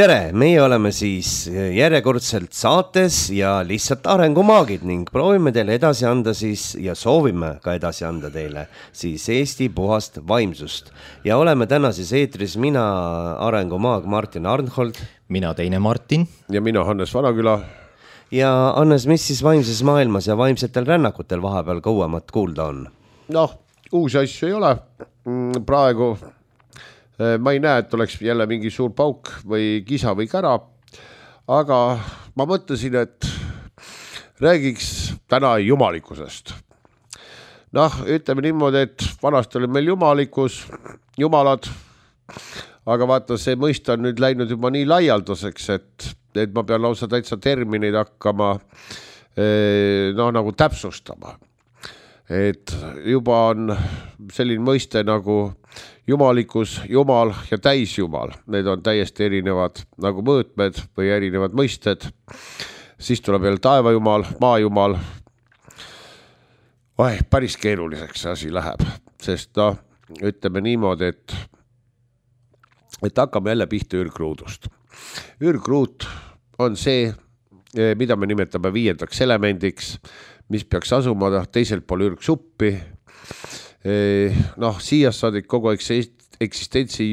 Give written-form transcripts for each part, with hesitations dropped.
Tere, meie oleme siis järjekordselt saates ja lihtsalt arengumaagid ning proovime teile edasi anda siis ja soovime ka edasi anda teile siis Eesti puhast vaimsust. Ja oleme täna siis eetris mina arengumaag Martin Arnhold. Mina teine Martin. Ja mina Hannes Vanaküla. Ja Hannes, mis siis vaimses maailmas ja vaimsetel rännakutel vahepeal kauemat kuulda on? Noh, uusi asju ei ole praegu. Ma ei näe, et oleks jälle mingi suur pauk või kisa või kära, aga ma mõtlesin, et räägiks täna jumalikkusest. Noh, ütleme niimoodi, et vanasti oli meil jumalad, aga vaata, see mõista on nüüd läinud juba nii laialdaseks, et ma pean lausa täitsa termineid hakkama nagu täpsustama. Et juba on selline mõiste nagu jumalikkus, jumal ja täisjumal. Need on täiesti erinevad nagu mõõtmed või erinevad mõisted. Siis tuleb veel taevajumal, maajumal. Päris keeruliseks see asi läheb, sest ütleme niimoodi, et hakkame jälle pihta ürgruudust. Ürgruut on see, mida me nimetame 5. elemendiks, mis peaks asuma teisel pool ürgsuppi. Siiast saadik kogu eksistentsi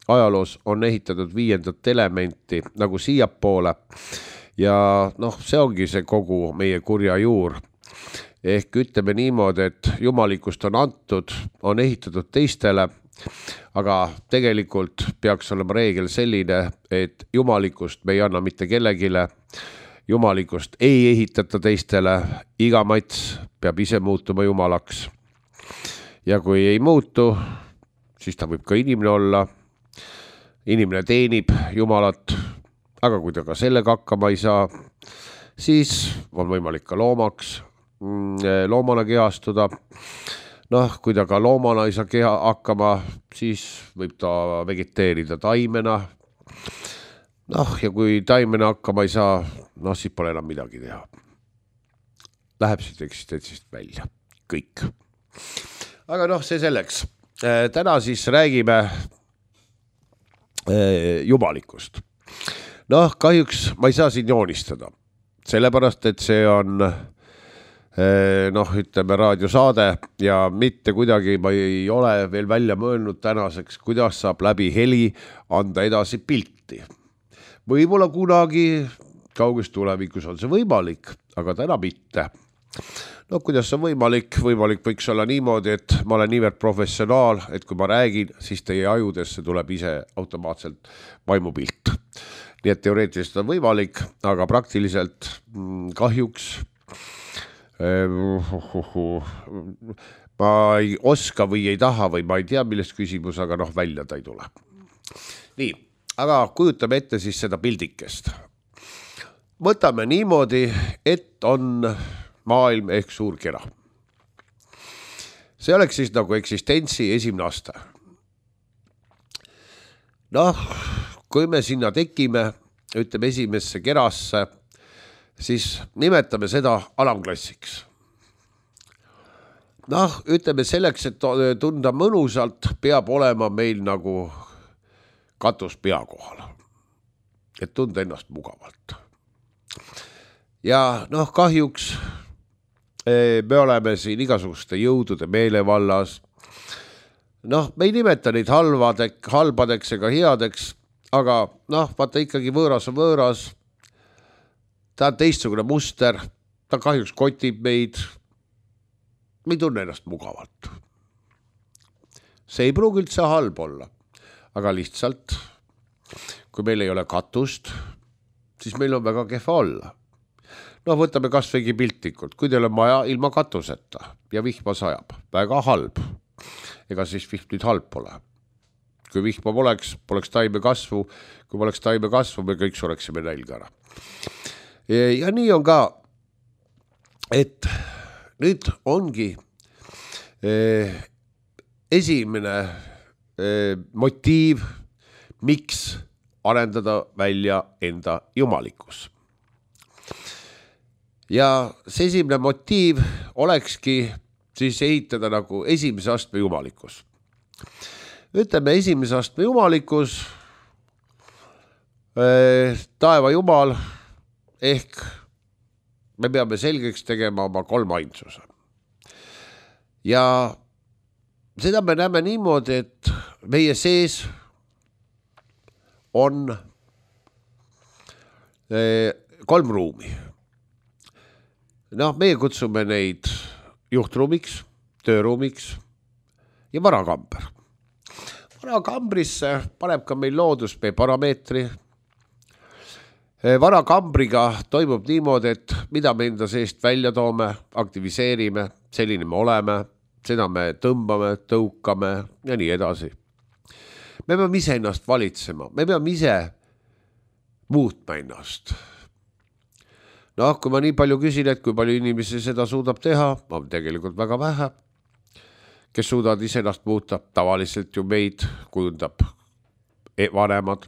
ajaloos on ehitatud 5. elementi nagu siiapoole ja see ongi see kogu meie kurja juur. Ehk ütleme niimoodi, et jumalikust on antud, on ehitatud teistele, aga tegelikult peaks olema reegel selline, et jumalikust me ei anna mitte kellegile, jumalikust ei ehitata teistele, iga mats peab ise muutuma jumalaks. Ja kui ei muutu, siis ta võib ka inimene olla. Inimene teenib jumalat, aga kui ta ka sellega hakkama ei saa, siis on võimalik ka loomana kehastuda. Kui ta ka loomana ei saa hakkama, siis võib ta vegeteerida taimena. Ja kui taimena hakkama ei saa, siis pole enam midagi teha. Läheb siit eksistentsist välja. Kõik. Aga see selleks. Täna siis räägime jumalikust. Kahjuks ma ei saa siin joonistada. Sellepärast, et see on ütleme raadiosaade ja mitte kuidagi ma ei ole veel välja mõelnud tänaseks, kuidas saab läbi heli anda edasi pilti. Võib-olla kunagi kauges tulevikus on see võimalik, aga täna mitte. Kuidas see on võimalik? Võimalik võiks olla niimoodi, et ma olen niivõrd professionaal, et kui ma räägin, siis teie ajudesse tuleb ise automaatselt vaimupilt. Nii et teoreetiliselt on võimalik, aga praktiliselt kahjuks ma ei oska või ei taha või ma ei tea, millest küsimus, aga välja ta ei tule. Nii, aga kujutame ette siis seda pildikest. Võtame niimoodi, et on maailm ehk suur kera. See oleks siis nagu eksistentsi esimene aste. Kui me sinna tekime, ütleme esimesse kerasse, siis nimetame seda alamklassiks. Ütleme selleks, et tunda mõnusalt, peab olema meil nagu katus pea kohal. Et tunda ennast mugavalt. Ja kahjuks me oleme siin igasuguste jõudude meelevallas. Me ei nimeta neid halbadeks ega headeks, aga vaata ikkagi võõras on võõras. Ta on teistsugune muster, ta kahjuks kotib meid. Me ei tunne ennast mugavalt. See ei pruugi üldse halb olla, aga lihtsalt, kui meil ei ole katust, siis meil on väga kehva olla. Võtame kas võigi piltlikult, kui teil on maja ilma katuseta ja vihma sajab, väga halb. Ega siis vihm nüüd halb pole. Kui vihma poleks taime kasvu, kui poleks taime kasvu, me kõik sureksime nälga ära. Ja nii on ka, et nüüd ongi esimene motiiv, miks arendada välja enda jumalikkus. Ja see esimene motiiv olekski siis ehitada nagu esimese astme jumalikkus. Ütleme esimese astme jumalikkus taeva jumal ehk me peame selgeks tegema oma kolmainsuse. Ja seda me näeme niimoodi, et meie sees on kolm ruumi. Meie kutsume neid juhtruumiks, tööruumiks ja varakamber. Varakambrisse paneb ka meil loodus meie parameetri. Varakambriga toimub niimoodi, et mida me enda seest välja toome, aktiviseerime, selline me oleme, seda me tõmbame, tõukame ja nii edasi. Me peame ise ennast valitsema, me peame ise muutma ennast. Kui ma nii palju küsin, et kui palju inimesi seda suudab teha, on tegelikult väga vähe. Kes suudavad ise ennast muuta, tavaliselt ju meid kujundab vanemad.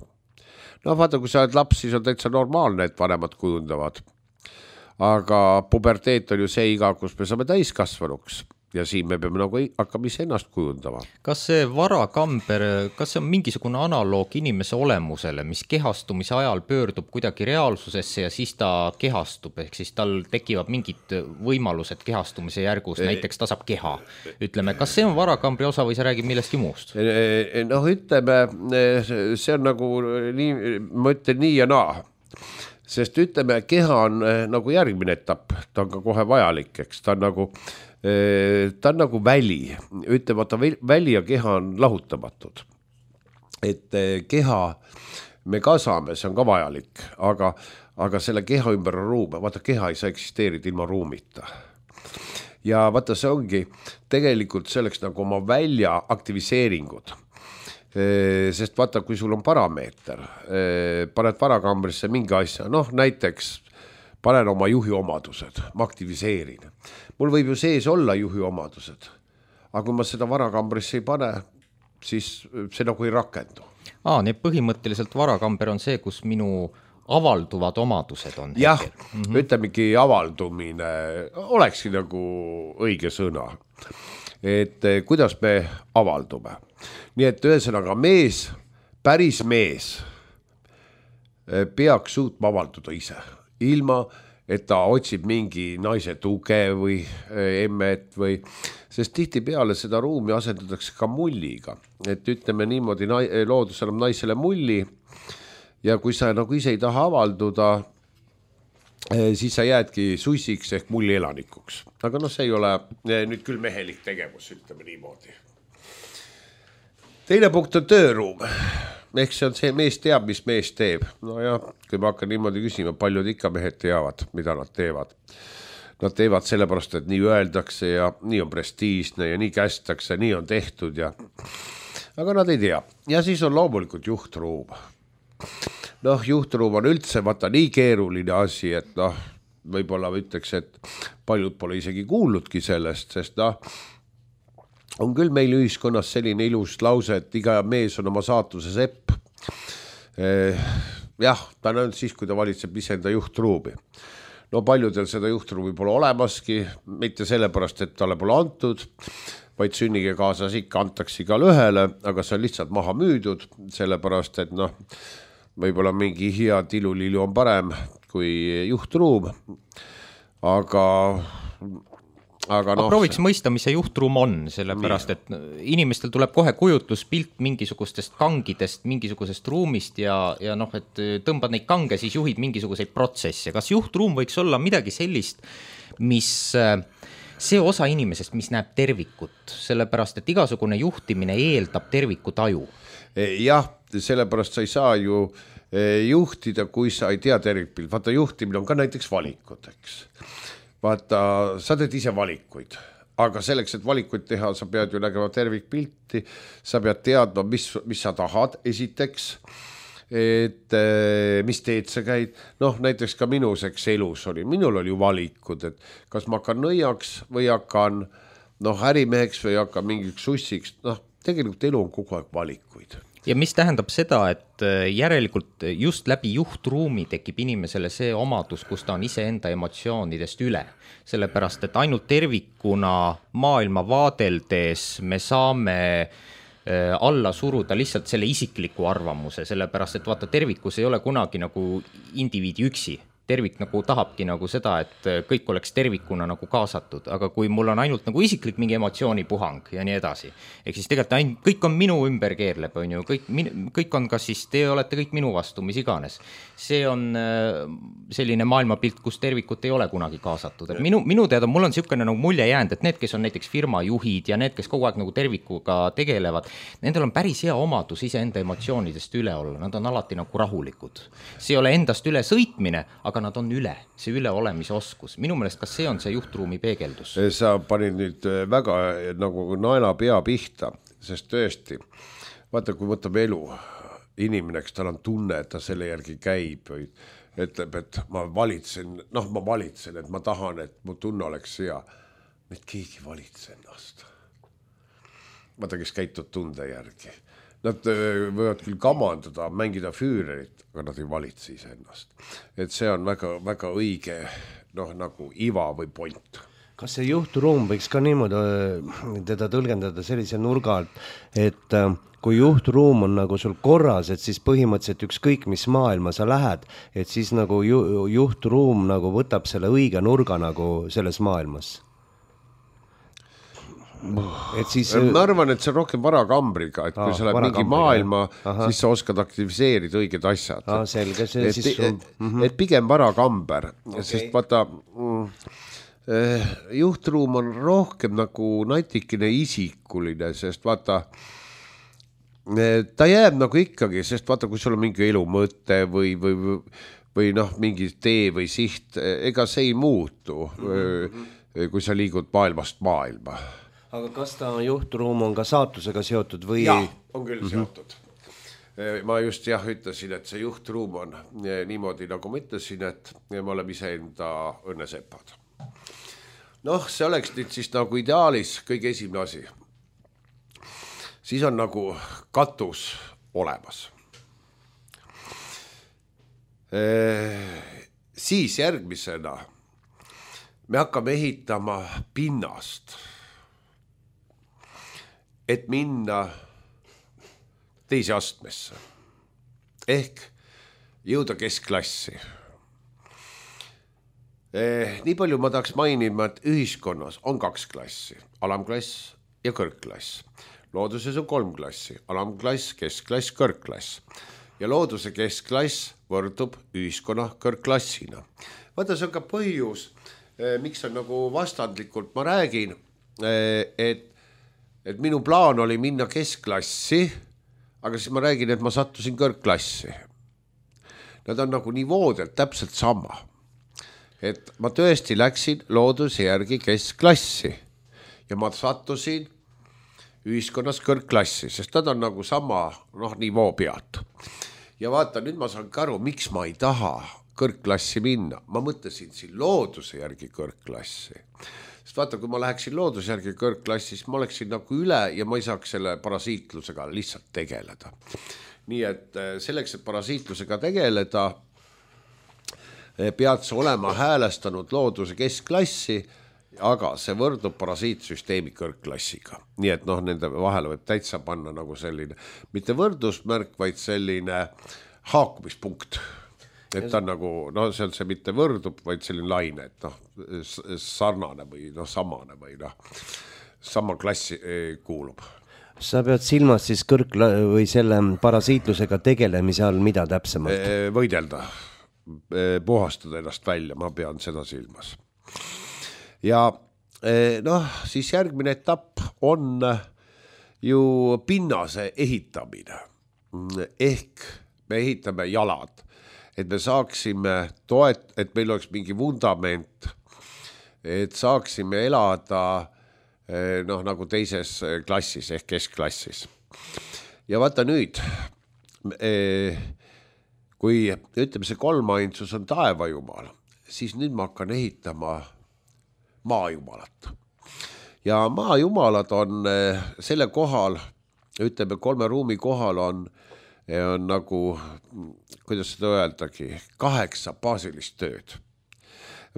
Vaata, kui sa oled laps, siis on täitsa normaalne, et vanemad kujundavad. Aga puberteet on ju see iga, kus me saame täiskasvanuks ja siin me peame nagu hakkama ise ennast kujundama. Kas see varakamber, kas see on mingisugune analoog inimese olemusele, mis kehastumise ajal pöördub kuidagi reaalsusesse ja siis ta kehastub, ehk siis tal tekivad mingid võimalused kehastumise järgus, näiteks ta saab keha. Ütleme, kas see on varakambri osa või sa räägid millestki muust? Ütleme, see on nagu, ma ütlen nii ja naa. Sest ütleme, keha on nagu järgmine etapp, ta on ka kohe vajalik, eks ta on nagu väli, ütlemata väli ja keha on lahutamatud. Et keha me ka saame, see on ka vajalik, aga selle keha ümber on ruum, vaata keha ei saa eksisteerida ilma ruumita. Ja vaata see ongi tegelikult selleks nagu oma välja aktiviseeringud. Sest vaata, kui sul on parameeter, paned varakambrisse mingi asja, näiteks panen oma juhi omadused, ma aktiviseerin. Mul võib ju sees olla juhi omadused, aga kui ma seda varakambrisse ei pane, siis see nagu ei rakendu. Nii põhimõtteliselt varakamber on see, kus minu avalduvad omadused on. Jah, ütlemegi avaldumine, olekski nagu õige sõna. Et kuidas me avaldume. Nii et ühesõnaga mees, päris mees peaks suutma avalduda ise, ilma et ta otsib mingi naise tuge või emmet või, sest tihti peale seda ruumi asendatakse ka mulliga. Et ütleme niimoodi, loodus annab naisele mulli ja kui sa nagu ise ei taha avalduda, siis sa jäädki sussiks ehk mulli elanikuks. Aga see ei ole nüüd küll mehelik tegevus, ütleme niimoodi. Teine punkt on tööruum. Ehk see on see, mees teab, mis mees teeb. Kui ma hakkan niimoodi küsima, paljud ikka mehed teavad, mida nad teevad. Nad teevad sellepärast, et nii öeldakse ja nii on prestiižne ja nii kästakse, nii on tehtud ja... Aga nad ei tea. Ja siis on loomulikult juhtruum. Juhtruum on üldse vaata nii keeruline asi, et võib-olla ütleks, et paljud pole isegi kuulnudki sellest, sest on küll meil ühiskonnas selline ilus lause, et iga mees on oma saatuse sepp. Jah, ta on siis, kui ta valitseb iseenda juhtruumi. Paljudel seda juhtruumi pole olemaski, mitte sellepärast, et talle pole antud, vaid sünnige kaasas ikka antakse igale ühele, aga see on lihtsalt maha müüdud, sellepärast, et võib-olla mingi hea tilulilu on parem kui juhtruum, aga prooviks mõista, mis see juhtruum on, sellepärast, et inimestel tuleb kohe kujutluspilt mingisugustest kangidest, mingisugusest ruumist ja et tõmbad neid kange, siis juhid mingisuguseid protsesse. Kas juhtruum võiks olla midagi sellist, mis see osa inimesest, mis näeb tervikut, sellepärast, et igasugune juhtimine eeldab terviku taju? Jah, sellepärast sa ei saa ju juhtida, kui sa ei tea tervikpilt. Vaata, juhtimine on ka näiteks valikud, eks. Vaata, sa teed ise valikuid, aga selleks, et valikuid teha, sa pead ju nägema tervikpilti, sa pead teadma, mis sa tahad esiteks, et mis teed sa käid. Näiteks ka minuseks elus oli, minul oli ju valikud, et kas ma hakkan nõiaks või hakkan ärimeheks või hakkan mingiks sussiks. Tegelikult elu on kogu aeg valikuid. Ja mis tähendab seda, et järelikult just läbi juhtruumi tekib inimesele see omadus, kus ta on iseenda emotsioonidest üle. Sellepärast, et ainult tervikuna maailma vaadeldes me saame alla suruda lihtsalt selle isikliku arvamuse, sellepärast et vaata, tervikus ei ole kunagi nagu indiviidi üksi. Tervik nagu tahabki nagu seda, et kõik oleks tervikuna nagu kaasatud, aga kui mul on ainult nagu isiklik mingi emotsioonipuhang ja nii edasi, ehk siis tegelikult kõik on minu ümber keerleb, on ju, kõik on kas siis, te olete kõik minu vastu, mis iganes. See on selline maailmapilt, kus tervikut ei ole kunagi kaasatud. Et minu teada, mul on niisugune nagu mulje jäänud, et need, kes on näiteks firmajuhid ja need, kes kogu aeg nagu tervikuga tegelevad, nendel on päris hea omadus iseenda emotsioonidest üle olla, nad on alati nagu rahulikud. See ei ole endast üle sõitmine, aga nad on üle, see üleolemise oskus. Minu meelest, kas see on see juhtruumi peegeldus? Sa panid nüüd väga nagu naela pea pihta, sest tõesti, vaata, kui võtab elu inimene, kes tal on tunne, et ta selle järgi käib, ütleb, et ma valitsen, et ma tahan, et mu tunne oleks hea. Meid keegi valitse ennast. Vaata, kes käitud tunde järgi. Nad võivad küll kamandada, mängida füürerit, aga nad ei valitse ise ennast. Et see on väga, väga õige nagu iva või point. Kas see juhtruum võiks ka niimoodi teda tõlgendada sellise nurga alt, et kui juhtruum on nagu sul korras, et siis põhimõtteliselt ükskõik mis maailma sa lähed, et siis nagu juhtruum nagu võtab selle õige nurga nagu selles maailmas? Et siis, ma arvan, et see on rohkem varakambriga, et kui sa lähed mingi maailma, siis sa oskad aktiviseerida õiged asjad. Selge, et pigem varakamber, sest vaata, juhtruum on rohkem nagu natikene isikuline, sest vaata, ta jääb nagu ikkagi, sest vaata, kui sul on mingi elu mõte või mingi tee või siht, ega see ei muutu, kui sa liigud maailmast maailma. Aga kas ta juhtruum on ka saatusega seotud või? Jaa, on küll seotud. Ma just ütlesin, et see juhtruum on niimoodi, nagu ma ütlesin, et me oleme iseenda õnnesepad. See oleks nüüd siis nagu ideaalis kõige esimene asi. Siis on nagu katus olemas. Siis järgmisena me hakkame ehitama pinnast, et minna teise astmesse ehk jõuda keskklassi. Nii palju ma tahaks mainima, et ühiskonnas on 2 klassi, alamklass ja kõrgklass. Looduses on 3 klassi, alamklass, keskklass, kõrgklass. Ja looduse keskklass võrdub ühiskonna kõrgklassina. Vaata, see on ka põhjus, miks on nagu vastandlikult, ma räägin, et minu plaan oli minna keskklassi, aga siis ma räägin, et ma sattusin kõrgklassi. Nad on nagu nivoodelt täpselt sama. Et ma tõesti läksin looduse järgi keskklassi ja ma sattusin ühiskonnas kõrgklassi, sest nad on nagu sama nivoo pealt. Ja vaata, nüüd ma saan aru, miks ma ei taha kõrgklassi minna. Ma mõtlesin siin looduse järgi kõrgklassi. Sest vaata, kui ma läheksin looduse järgi kõrgklassi, siis ma oleksin nagu üle ja ma ei saaks selle parasiitlusega lihtsalt tegeleda. Nii et selleks, et parasiitlusega tegeleda, pead sa olema häälestanud looduse keskklassi, aga see võrdub parasiitsüsteemi kõrgklassiga. Nii et nende vahele võib täitsa panna nagu selline, mitte võrdusmärk, vaid selline haakumispunkt. Et ta on nagu, see on see mitte võrdub, vaid selline laine, et sarnane või samane või sama klassi kuulub. Sa pead silmas siis või selle parasiitlusega tegelemise all mida täpsemalt? Võidelda, puhastada ennast välja, ma pean seda silmas. Ja siis järgmine etapp on ju pinnase ehitamine. Ehk me ehitame jalad. Et me saaksime et meil oleks mingi vundament, et saaksime elada nagu teises klassis ehk keskklassis. Ja vaata nüüd, kui ütleme see kolmainsus on taevajumal, siis nüüd ma hakkan ehitama maajumalat. Ja maajumalad on selle kohal, ütleme 3 ruumi kohal on nagu, kuidas seda öeldagi, 8 baasilist tööd.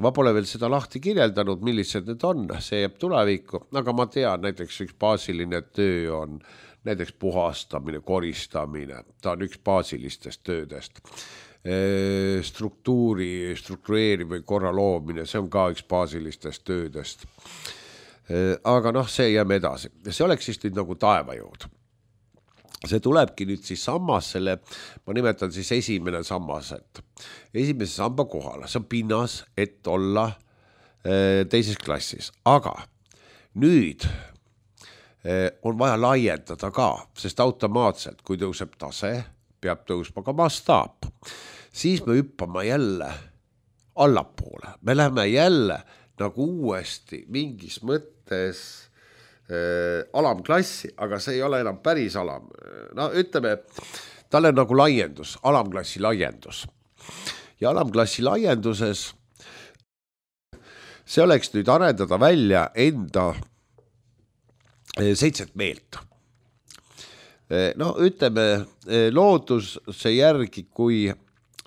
Ma pole veel seda lahti kirjeldanud, millised need on, see jääb tulevikku, aga ma tean, näiteks üks baasiline töö on näiteks puhastamine, koristamine, ta on üks baasilistest töödest. Struktureerimine, korra loomine, see on ka üks baasilistest töödest. Aga see jääme edasi. See oleks siis nüüd nagu taevajõud. See tulebki nüüd siis sammas selle, ma nimetan siis esimene sammas, et esimese samba kohale, see on pinnas, et olla teises klassis, aga nüüd on vaja laiendada ka, sest automaatselt, kui tõuseb tase, peab tõusma ka mastaap. Siis me hüppame jälle allapoole, me läheme jälle nagu uuesti mingis mõttes alamklassi, aga see ei ole enam päris alam. No ütleme, tal on nagu laiendus, alamklassi laiendus. Ja alamklassi laienduses see oleks nüüd arendada välja enda 7 meelt. No ütleme, looduse järgi, kui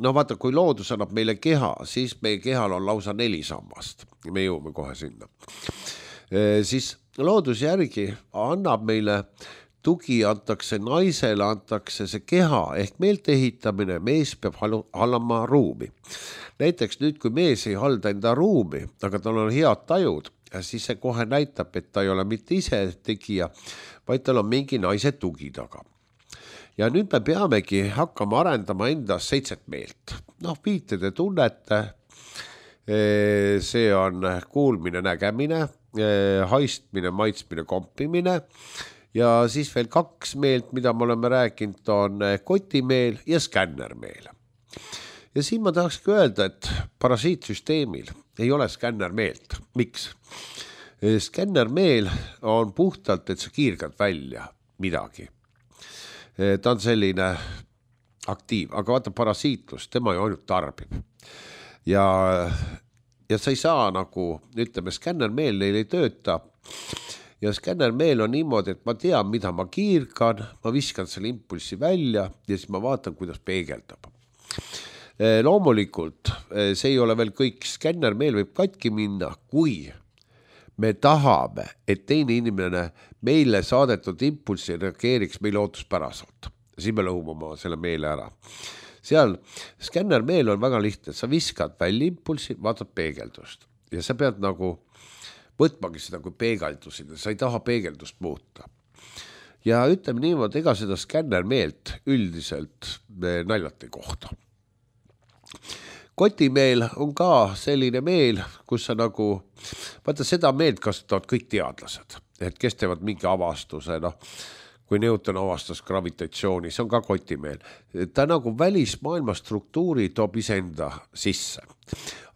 loodus annab meile keha, siis meie kehal on lausa 4 sammast. Me jõuame kohe sinna. Siis loodus järgi annab meile tugi, antakse naisele, antakse see keha ehk meelt ehitamine, mees peab hallama ruumi. Näiteks nüüd, kui mees ei halda enda ruumi, aga tal on head tajud, siis see kohe näitab, et ta ei ole mitte ise tegija, vaid tal on mingi naise tugi taga. Ja nüüd me peamegi hakkama arendama endas 7 meelt. Viite te tunnete, see on kuulmine, nägemine, haistmine, maitsmine, kompimine ja siis veel 2 meelt, mida me oleme rääkinud, on kotimeel ja skännermeel. Ja siin ma tahakski öelda, et parasiitsüsteemil ei ole skännermeelt. Miks? Skännermeel on puhtalt, et sa kiirgad välja midagi. Ta on selline aktiiv, aga vaata parasiitlus, tema ju ainult tarbib. Ja sa ei saa nagu, ütleme, skännermeel neil ei tööta. Ja skännermeel on niimoodi, et ma tean, mida ma kiirgan, ma viskan selle impulsi välja ja siis ma vaatan, kuidas peegeldab. Loomulikult see ei ole veel kõik, skännermeel võib katki minna, kui me tahame, et teine inimene meile saadetud impulsi reageeriks meile ootuspäraselt. Siis me lõhumame selle meele ära. Seal skännermeel on väga lihtne, sa viskad välja impulsi, vaatad peegeldust ja sa pead nagu võtmagi seda kui peegeldusida, sa ei taha peegeldust muuta. Ja ütleme niimoodi, ega seda skännermeelt üldiselt naljati kohta. Kotimeel on ka selline meel, kus sa nagu, vaata seda meelt kasutavad kõik teadlased, et kes teevad mingi avastuse, kui Newton avastas gravitatsiooni, see on ka kotimeel. Ta nagu välismaailma struktuuri toob iseenda sisse.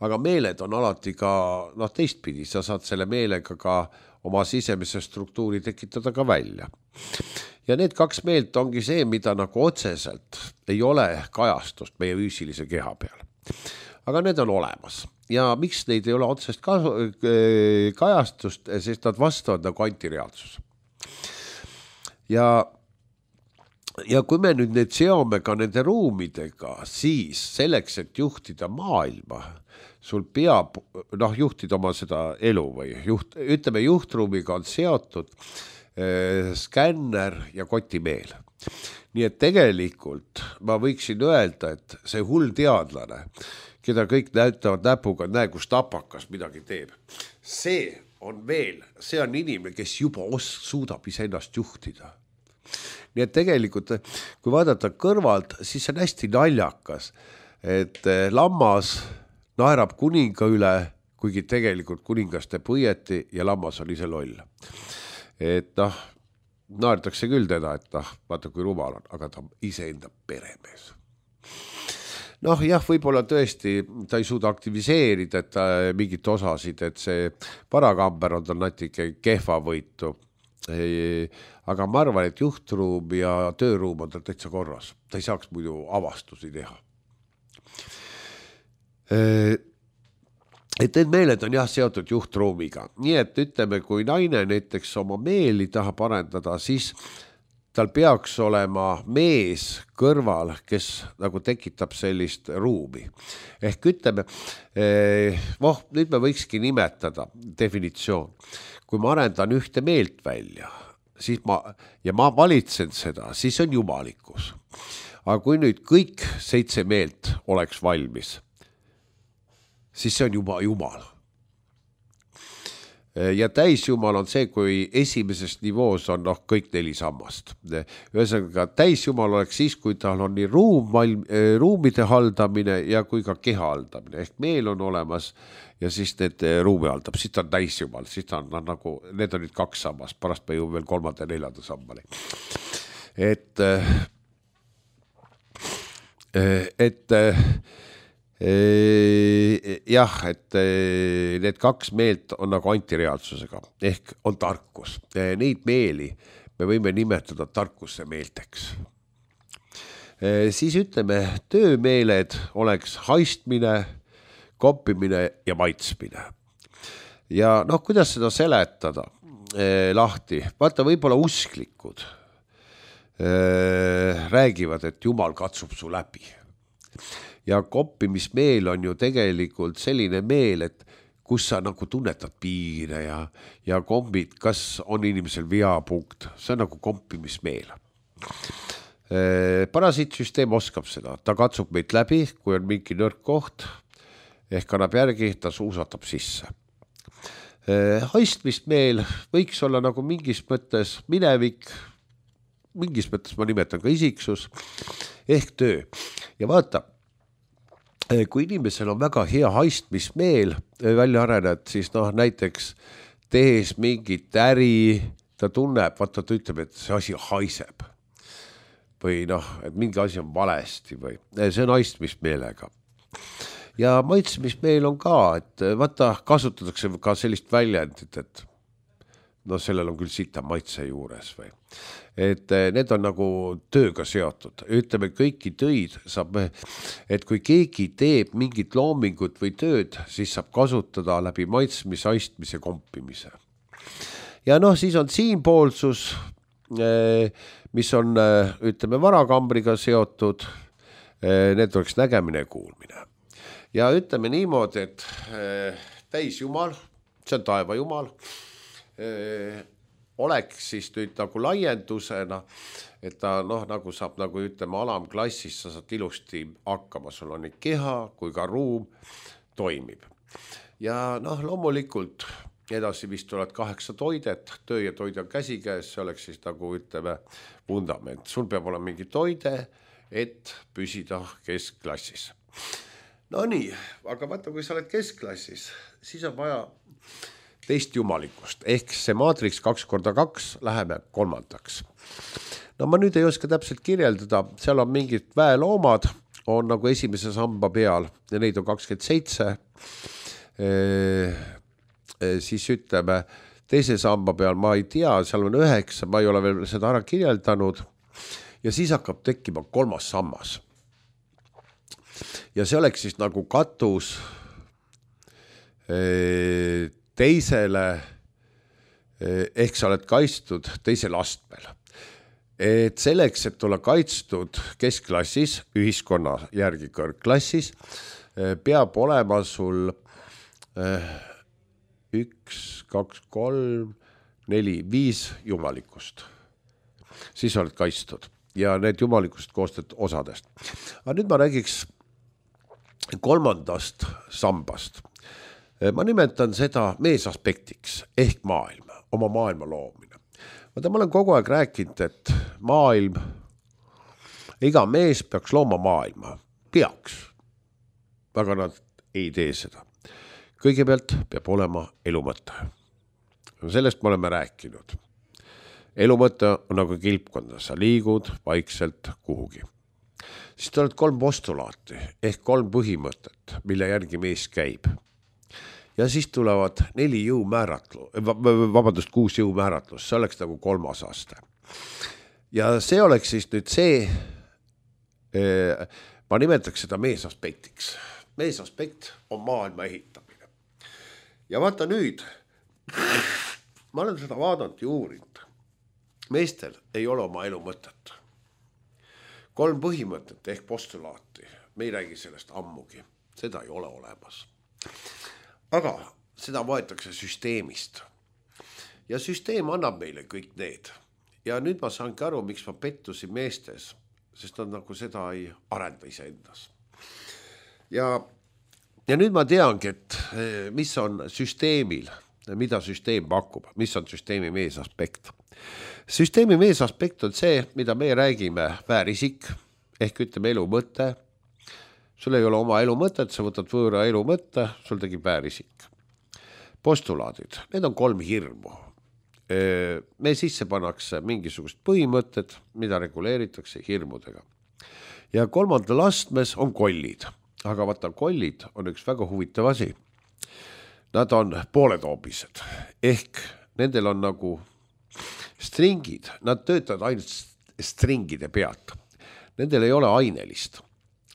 Aga meeled on alati ka teistpidi, sa saad selle meelega ka oma sisemise struktuuri tekitada ka välja. Ja need 2 meelt ongi see, mida nagu otseselt ei ole kajastust meie füüsilise keha peal. Aga need on olemas. Ja miks neid ei ole otsest kajastust, sest nad vastavad nagu antireaalsus. Ja kui me nüüd need seome ka nende ruumidega, siis selleks, et juhtida maailma, sul peab juhtida oma seda elu või ütleme, juhtruumiga on seotud skänner ja kotimeel. Nii et tegelikult ma võiksin öelda, et see hull teadlane, keda kõik näitavad näpuga, näe, kus tapakas midagi teeb. See on inimene, kes juba suudab iseennast juhtida. Nii et tegelikult, kui vaadata kõrvalt, siis see on hästi naljakas, et lammas naerab kuninga üle, kuigi tegelikult kuningas teeb õieti ja lammas on ise loll. Et naertakse küll teda, et vaata kui rumal on, aga ta on iseenda peremees. Jah, võib-olla tõesti ta ei suuda aktiviseerida mingit osasid, et see parakamber on tal natuke kehva võitu. Aga ma arvan, et juhtruum ja tööruum on tal täitsa korras. Ta ei saaks muidu avastusi teha. Et need meeled on seotud juhtruumiga. Nii et ütleme, kui naine näiteks oma meeli tahab arendada, siis tal peaks olema mees kõrval, kes nagu tekitab sellist ruumi. Ehk ütleme, nüüd me võikski nimetada definitsioon. Kui ma arendan ühte meelt välja, ma valitsen seda, siis on jumalikkus. Aga kui nüüd kõik 7 meelt oleks valmis, siis see on juba Jumal. Ja täisjumal on see, kui esimeses nivoos on kõik 4 sammast. Ühesõnaga, täisjumal oleks siis, kui tal on nii ruumide haldamine ja kui ka keha haldamine. Ehk meel on olemas ja siis need ruumi haldab. Siis ta on täisjumal, siis ta on nagu, need on nüüd 2 sammast, pärast me jõuame veel 3. ja 4. sammani. Jah, et need 2 meelt on nagu antireaalsusega, ehk on tarkus. Neid meeli me võime nimetada tarkuse meelteks. Siis ütleme, töömeeled oleks haistmine, koppimine ja maitsmine. Ja kuidas seda seletada lahti? Vaata, võib-olla usklikud räägivad, et Jumal katsub su läbi. Ja koppimismeel on ju tegelikult selline meel, et kus sa nagu tunnetad piire ja kombid, kas on inimesel veapunkt, see on nagu kompimismeel. Parasiitsüsteem oskab seda, ta katsub meid läbi, kui on mingi nõrk koht, ehk annab järgi, ta suusatab sisse. Haistmismeel võiks olla nagu mingis mõttes minevik, mingis mõttes ma nimetan ka isiksus, ehk töö. Ja vaata, kui inimesel on väga hea haistmismeel välja arenenud, siis näiteks tehes mingit äri, ta tunneb, vaata ta ütleb, et see asi haiseb. Või et mingi asi on valesti või see on haistmismeelega. Ja maitsmismeel on ka, et vaata kasutatakse ka sellist väljendit, et sellel on küll sita maitse juures või. Et need on nagu tööga seotud. Ütleme, kõiki töid saab, et kui keegi teeb mingit loomingut või tööd, siis saab kasutada läbi maitsmis, haistmise, kompimise. Ja siis on siinpoolsus, mis on, ütleme, varakambriga seotud, need oleks nägemine ja kuulmine. Ja ütleme niimoodi, et täisjumal, see on taeva jumal, oleks siis nüüd nagu laiendusena, et ta nagu saab nagu ütleme alamklassis, sa saad ilusti hakkama, sul on nii keha kui ka ruum toimib. Ja loomulikult edasi vist tulevad 8 toidet, töö ja toid on käsikäes, see oleks siis nagu ütleme vundament. Sul peab olema mingi toide, et püsida keskklassis. No nii, aga vaata, kui sa oled keskklassis, siis on vaja teist jumalikust, ehk see maatriks 2x2 läheme 3. No ma nüüd ei oska täpselt kirjeldada, seal on mingid väeloomad, on nagu esimese samba peal ja neid on 27, siis ütleme, teise samba peal ma ei tea, seal on 9, ma ei ole veel seda ära kirjeldanud ja siis hakkab tekkima 3. sammas. Ja see oleks siis nagu katus teisele, ehk sa oled kaitstud teisel astmel. Et selleks, et olla kaitstud keskklassis, ühiskonna järgi kõrgklassis, peab olema sul 1, 2, 3, 4, 5 jumalikust. Siis oled kaitstud ja need jumalikust koostööd osadest. Aga nüüd ma räägiks 3. sambast. Ma nimetan seda meesaspektiks ehk maailma, oma maailma loomine. Ma olen kogu aeg rääkinud, et maailm, iga mees peaks looma maailma, peaks, aga nad ei tee seda. Kõigepealt peab olema elumõte. Sellest me oleme rääkinud. Elumõte on nagu kilpkonda, sa liigud vaikselt kuhugi. Siis tuleb 3 postulaati ehk 3 põhimõtet, mille järgi mees käib. Ja siis tulevad 6 jõumääratlus, see oleks nagu 3. aste. Ja see oleks siis nüüd see, ma nimetaks seda meesaspektiks. Meesaspekt on maailma ehitamine. Ja vaata nüüd, ma olen seda vaadanud ja uurinud. Meestel ei ole oma elu mõtet. 3 põhimõtet ehk postulaati, me ei räägi sellest ammugi, seda ei ole olemas. Aga seda võetakse süsteemist. Ja süsteem annab meile kõik need. ja nüüd ma saangi aru, miks ma pettusin meestes, sest nad nagu seda ei arenda iseendas. Ja nüüd ma teangi, et mis on süsteemil, mida süsteem pakub, mis on süsteemi meesaspekt. Süsteemi meesaspekt on see, mida me räägime väärisik, ehk ütleme elu mõte. Sul ei ole oma elu mõtet, sa võtad võõra elu mõtte, sul tegib väärisik. Postulaadid, need on 3 hirmu. Me sisse pannakse mingisugust põhimõtted, mida reguleeritakse hirmudega. Ja 3. astmes on kollid, aga vaata kollid on üks väga huvitav asi. Nad on pooletoobised, ehk nendel on nagu stringid, nad töötavad ainult stringide pealt. Nendel ei ole ainelist.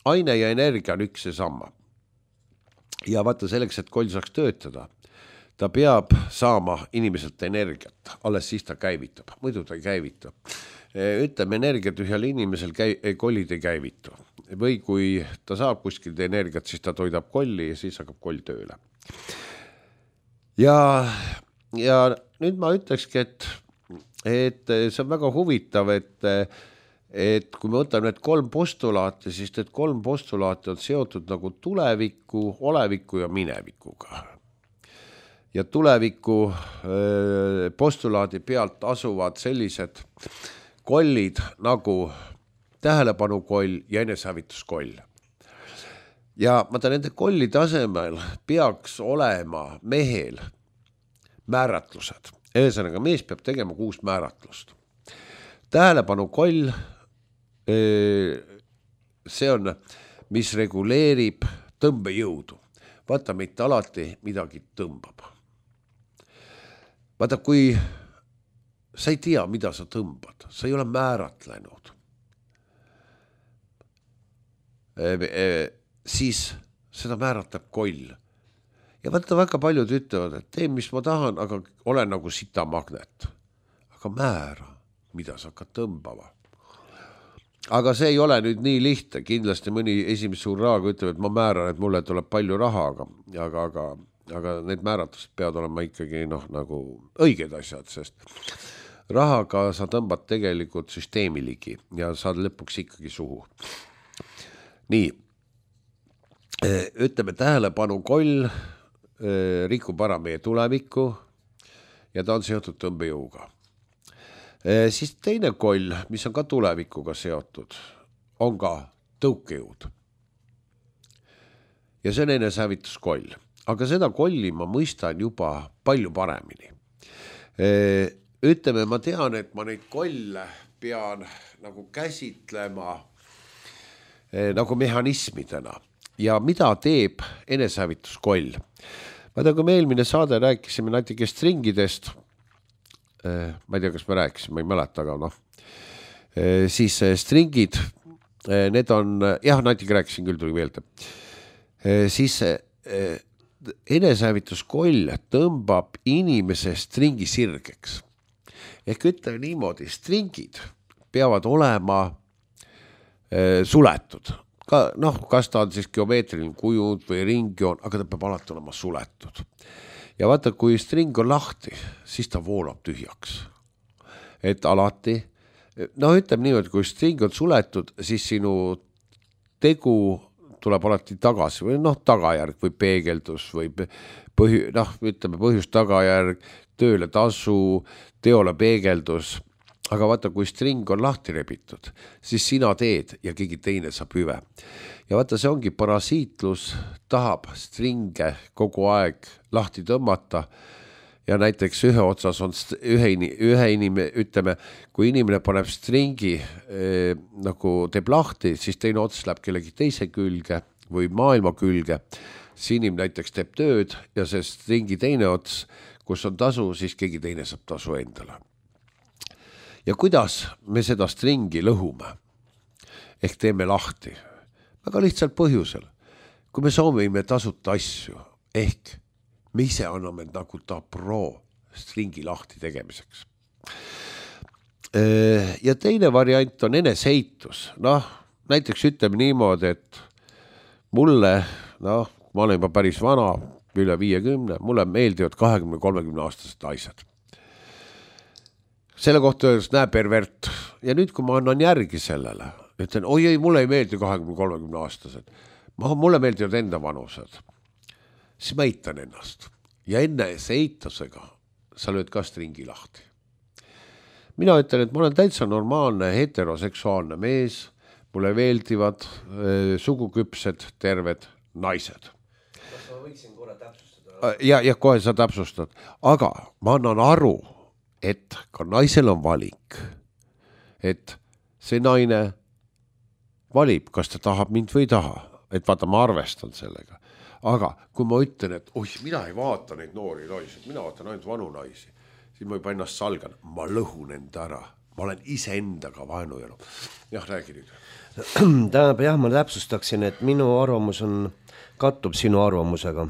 Aine ja energia on üks ja sama. Ja vaata selleks, et koll saaks töötada, ta peab saama inimeselt energiat, alles siis ta käivitab, muidu ta ei käivita. Ütleme, energiat ühel inimesel kollid ei käivitu. Või kui ta saab kuskilt energiat, siis ta toidab kolli ja siis hakkab koll tööle. Ja nüüd ma ütlekski, et see on väga huvitav, et kui me võtame need 3 postulaati, siis need 3 postulaati on seotud nagu tuleviku, oleviku ja minevikuga. Ja tuleviku postulaadi pealt asuvad sellised kollid nagu tähelepanukoll ja enesehävituskoll. Ja ma ta nende kollide asemel peaks olema mehel määratlused. Ühesõnaga, mees peab tegema 6 määratlust. Tähelepanukoll, see on, mis reguleerib tõmbejõudu. Vaata, mitte alati midagi tõmbab. Vaata, kui sa ei tea, mida sa tõmbad, sa ei ole määratlenud, siis seda määratab koll. Ja vaata, väga paljud ütlevad, et tee, mis ma tahan, aga ole nagu sitamagnet. Aga määra, mida sa hakkad tõmbama. Aga see ei ole nüüd nii lihtne. Kindlasti mõni esimese suur raaga ütleb, et ma määran, et mulle tuleb palju raha, aga need määratused peavad olema ikkagi nagu õiged asjad, sest rahaga sa tõmbad tegelikult süsteemi ligi ja saad lõpuks ikkagi suhu. Nii, ütleme tähelepanukoll rikub ära meie tulevikku ja ta on seotud tõmbejõuga. Siis teine koll, mis on ka tulevikuga seotud, on ka tõukejõud. Ja see on enesehävituskoll. Aga seda kolli ma mõistan juba palju paremini. Ütleme, ma tean, et ma neid kolle pean nagu käsitlema nagu mehhanismidena. Ja mida teeb enesehävituskoll? Vaata, kui me eelmine saade rääkisime natuke stringidest, ma ei tea, kas me rääkisime, ma ei mäleta, aga siis stringid, need on, jah, natuke rääkisin küll, tuli meelde. Siis enesehävituskoll tõmbab inimese stringi sirgeks. Ehk ütleme niimoodi, stringid peavad olema suletud. Kas ta on siis geomeetriline kujund või ringjoon, aga ta peab alati olema suletud. Ja vaata, kui string on lahti, siis ta voolab tühjaks. Et alati, ütleme niimoodi, kui string on suletud, siis sinu tegu tuleb alati tagasi või tagajärg või peegeldus või ütleme põhjus tagajärg, tööle tasu, teole peegeldus. Aga vaata, kui string on lahti rebitud, siis sina teed ja keegi teine saab hüve. Ja vaata, see ongi parasiitlus, tahab stringe kogu aeg lahti tõmmata ja näiteks ühe otsas on ühe inimene, ütleme, kui inimene paneb stringi nagu teeb lahti, siis teine ots läheb kellegi teise külge või maailma külge. See inimene näiteks teeb tööd ja see stringi teine ots, kus on tasu, siis keegi teine saab tasu endale. Ja kuidas me seda stringi lõhume? Ehk teeme lahti. Väga lihtsalt põhjusel. Kui me soovime tasuta asju, ehk me ise anname nagu ta pro stringi lahti tegemiseks. Ja teine variant on eneseheitus. Näiteks ütleme niimoodi, et mulle, ma olen juba päris vana, üle 50, mulle meeldivad 20-30 aastased naised. selle kohta öeldes, näe pervert. Ja nüüd, kui ma annan järgi sellele, ütlen, oi, mulle ei meeldi 20-30 aastased. Mulle meeldivad enda vanused. Siis ma eitan ennast. Ja enne see eitusega sa lööd ka stringi lahti. Mina ütlen, et ma olen täitsa normaalne heteroseksuaalne mees, mulle meeldivad suguküpsed, terved naised. Kas ma võiksin korra täpsustada? Ja kohe sa täpsustad. Aga ma annan aru, et ka naisel on valik. Et see naine valib, kas ta tahab mind või ei taha. Et vaata, ma arvestan sellega. Aga kui ma ütlen, et mina ei vaata neid noori naisi, mina vaatan ainult vanu naisi, siis ma juba ennast salgan, ma lõhun enda ära, ma olen ise endaga vaenujõlu. Jah, räägi nüüd. Tähendab, jah, ma täpsustaksin, et minu arvamus kattub sinu arvamusega,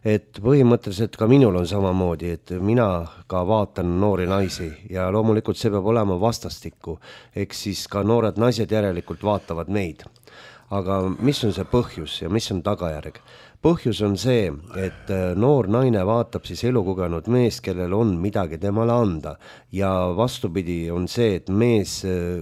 et põhimõtteliselt ka minul on samamoodi, et mina ka vaatan noori naisi ja loomulikult see peab olema vastastikku, eks siis ka noored naised järelikult vaatavad meid. Aga mis on see põhjus ja mis on tagajärg? Põhjus on see, et noor naine vaatab siis elukogenud mees, kellel on midagi temale anda ja vastupidi on see, et mees,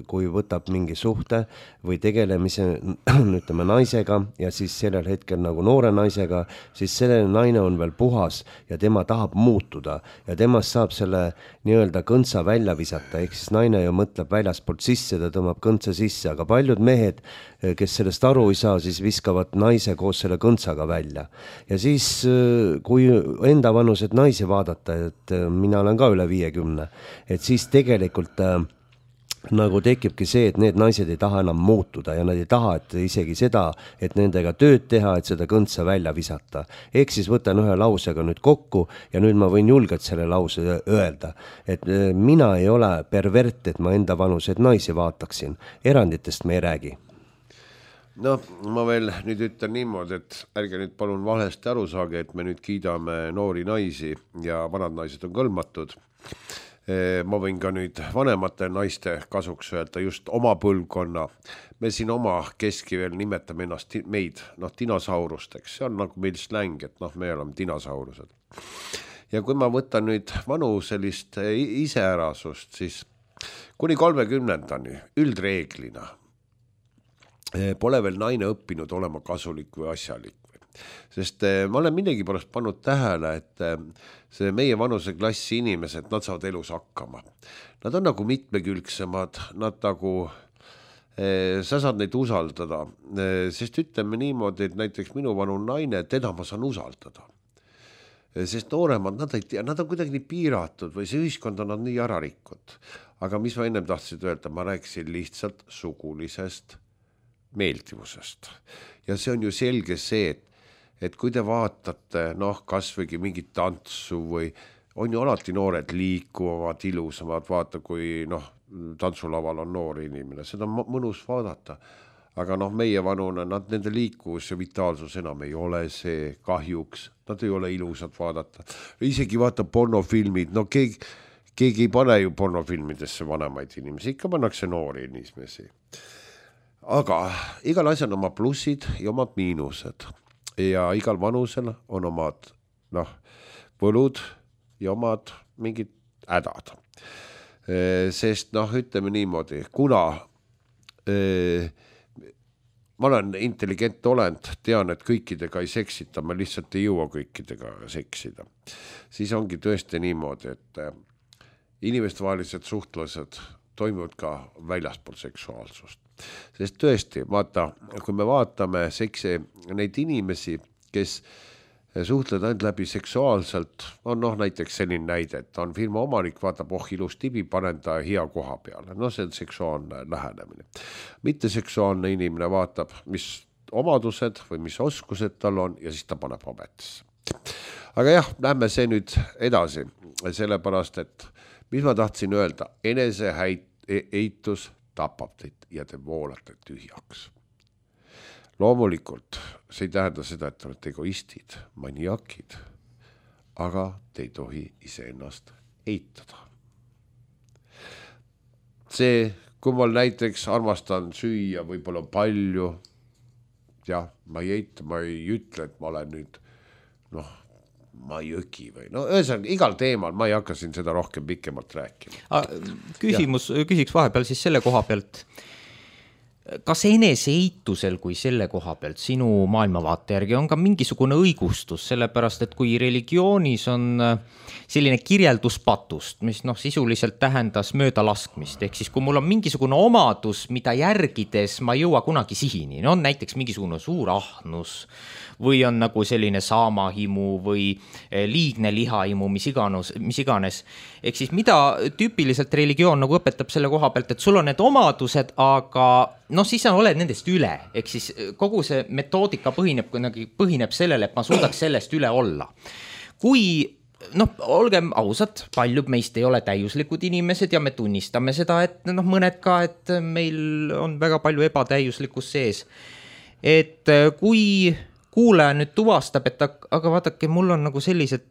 kui võtab mingi suhte või tegelemise ütleme naisega ja siis sellel hetkel nagu noore naisega, siis selle naine on veel puhas ja tema tahab muutuda ja temast saab selle nii-öelda kõntsa välja visata, ehk siis naine ju mõtleb väljaspoolt sisse, ta tõmbab kõntsa sisse, aga paljud mehed, kes sellest aru ei saa, siis viskavad naise koos selle kõntsaga välja. Ja siis, kui enda vanused naisi vaadata, et mina olen ka üle 50, et siis tegelikult nagu tekibki see, et need naised ei taha enam muutuda ja nad ei taha, et isegi seda, et nendega tööd teha, et seda kõntsa välja visata. Ehk siis võtan ühe lausega nüüd kokku ja nüüd ma võin julgelt selle lause öelda, et mina ei ole pervert, et ma enda vanused naisi vaataksin. Eranditest me ei räägi. No, ma veel nüüd ütlen niimoodi, et ärge nüüd palun valesti aru saage, et me nüüd kiidame noori naisi ja vanad naised on kõlmatud. Ma võin ka nüüd vanemate naiste kasuks öelda just oma põlvkonna. Me siin oma keski veel nimetame ennast meid, dinosaurusteks. See on nagu meil släng, et me oleme dinosaurused. Ja kui ma võtan nüüd vanu sellist iseärasust, siis kuni 30-ndani üldreeglina pole veel naine õppinud olema kasulik või asjalik. Sest ma olen millegi pärast pannud tähele, et see meie vanuse klassi inimesed, nad saavad elus hakkama. Nad on nagu mitmekülgsemad, nad nagu, sa saad neid usaldada, sest ütleme niimoodi, et näiteks minu vanu naine, teda ma saan usaldada. Sest nooremad, nad ei tea, nad on kuidagi nii piiratud või see ühiskond on nad nii ära rikkud. Aga mis ma ennem tahtsin öelda, ma rääkisin lihtsalt sugulisest meeldivusest. Ja see on ju selge see, et kui te vaatate, kas võigi mingit tantsu või on ju alati noored liikuvad, ilusamad, vaata kui tantsulaval on noor inimene, seda on mõnus vaadata. Aga meie vanune, nende liikuvus ja vitaalsus enam ei ole see kahjuks, nad ei ole ilusad vaadata. Isegi vaata pornofilmid, keegi ei pane ju pornofilmidesse vanemaid inimesi, ikka pannakse noori inimesi. Aga igal asjal on oma plussid ja omad miinused ja igal vanusel on omad võlud ja omad mingid hädad. Sest ütleme niimoodi, kuna ma olen intelligent olend, tean, et kõikidega ei seksita, ma lihtsalt ei jõua kõikidega seksida. Siis ongi tõesti niimoodi, et inimestevahelised suhtlused toimuvad ka väljaspool seksuaalsust. Sest tõesti, vaata, kui me vaatame neid inimesi, kes suhtlevad ainult läbi seksuaalselt, on näiteks selline näide, et on firma omanik, vaatab, ilus tibi, panen ta hea koha peale. See on seksuaalne lähenemine. Mitte seksuaalne inimene vaatab, mis omadused või mis oskused tal on ja siis ta paneb ametisse. Aga jah, lähme see nüüd edasi, sellepärast, et mis ma tahtsin öelda, enese eitus tapab teid ja te voolate tühjaks. Loomulikult, see ei tähenda seda, et te olete egoistid, maniakid, aga te ei tohi iseennast eitada. See, kui ma näiteks armastan süüa võib-olla palju, jah, ma ei eita, ma ei ütle, et ma olen nüüd, jõgi või no ühesõnaga igal teemal, ma ei hakka siin seda rohkem pikemalt rääkima. Küsiks vahepeal siis selle koha pealt, kas eneseitusel kui selle koha pealt sinu maailmavaate järgi on ka mingisugune õigustus, sellepärast et kui religioonis on selline kirjeldus patust, mis sisuliselt tähendas möödalaskmist, ehk siis kui mul on mingisugune omadus, mida järgides ma ei jõua kunagi sihini, on näiteks mingisugune suur ahnus või on nagu selline saamahimu või liigne lihahimu, mis iganes. Ehk siis mida tüüpiliselt religioon nagu õpetab selle koha pealt, et sul on need omadused, aga siis sa oled nendest üle, ehk siis kogu see metoodika põhineb sellele, et ma suudaks sellest üle olla. Kui olgem ausad, paljud meist ei ole täiuslikud inimesed ja me tunnistame seda, et mõned ka, et meil on väga palju ebatäiuslikkus sees. Et kui kuulaja nüüd tuvastab, et aga vaadake, mul on nagu sellised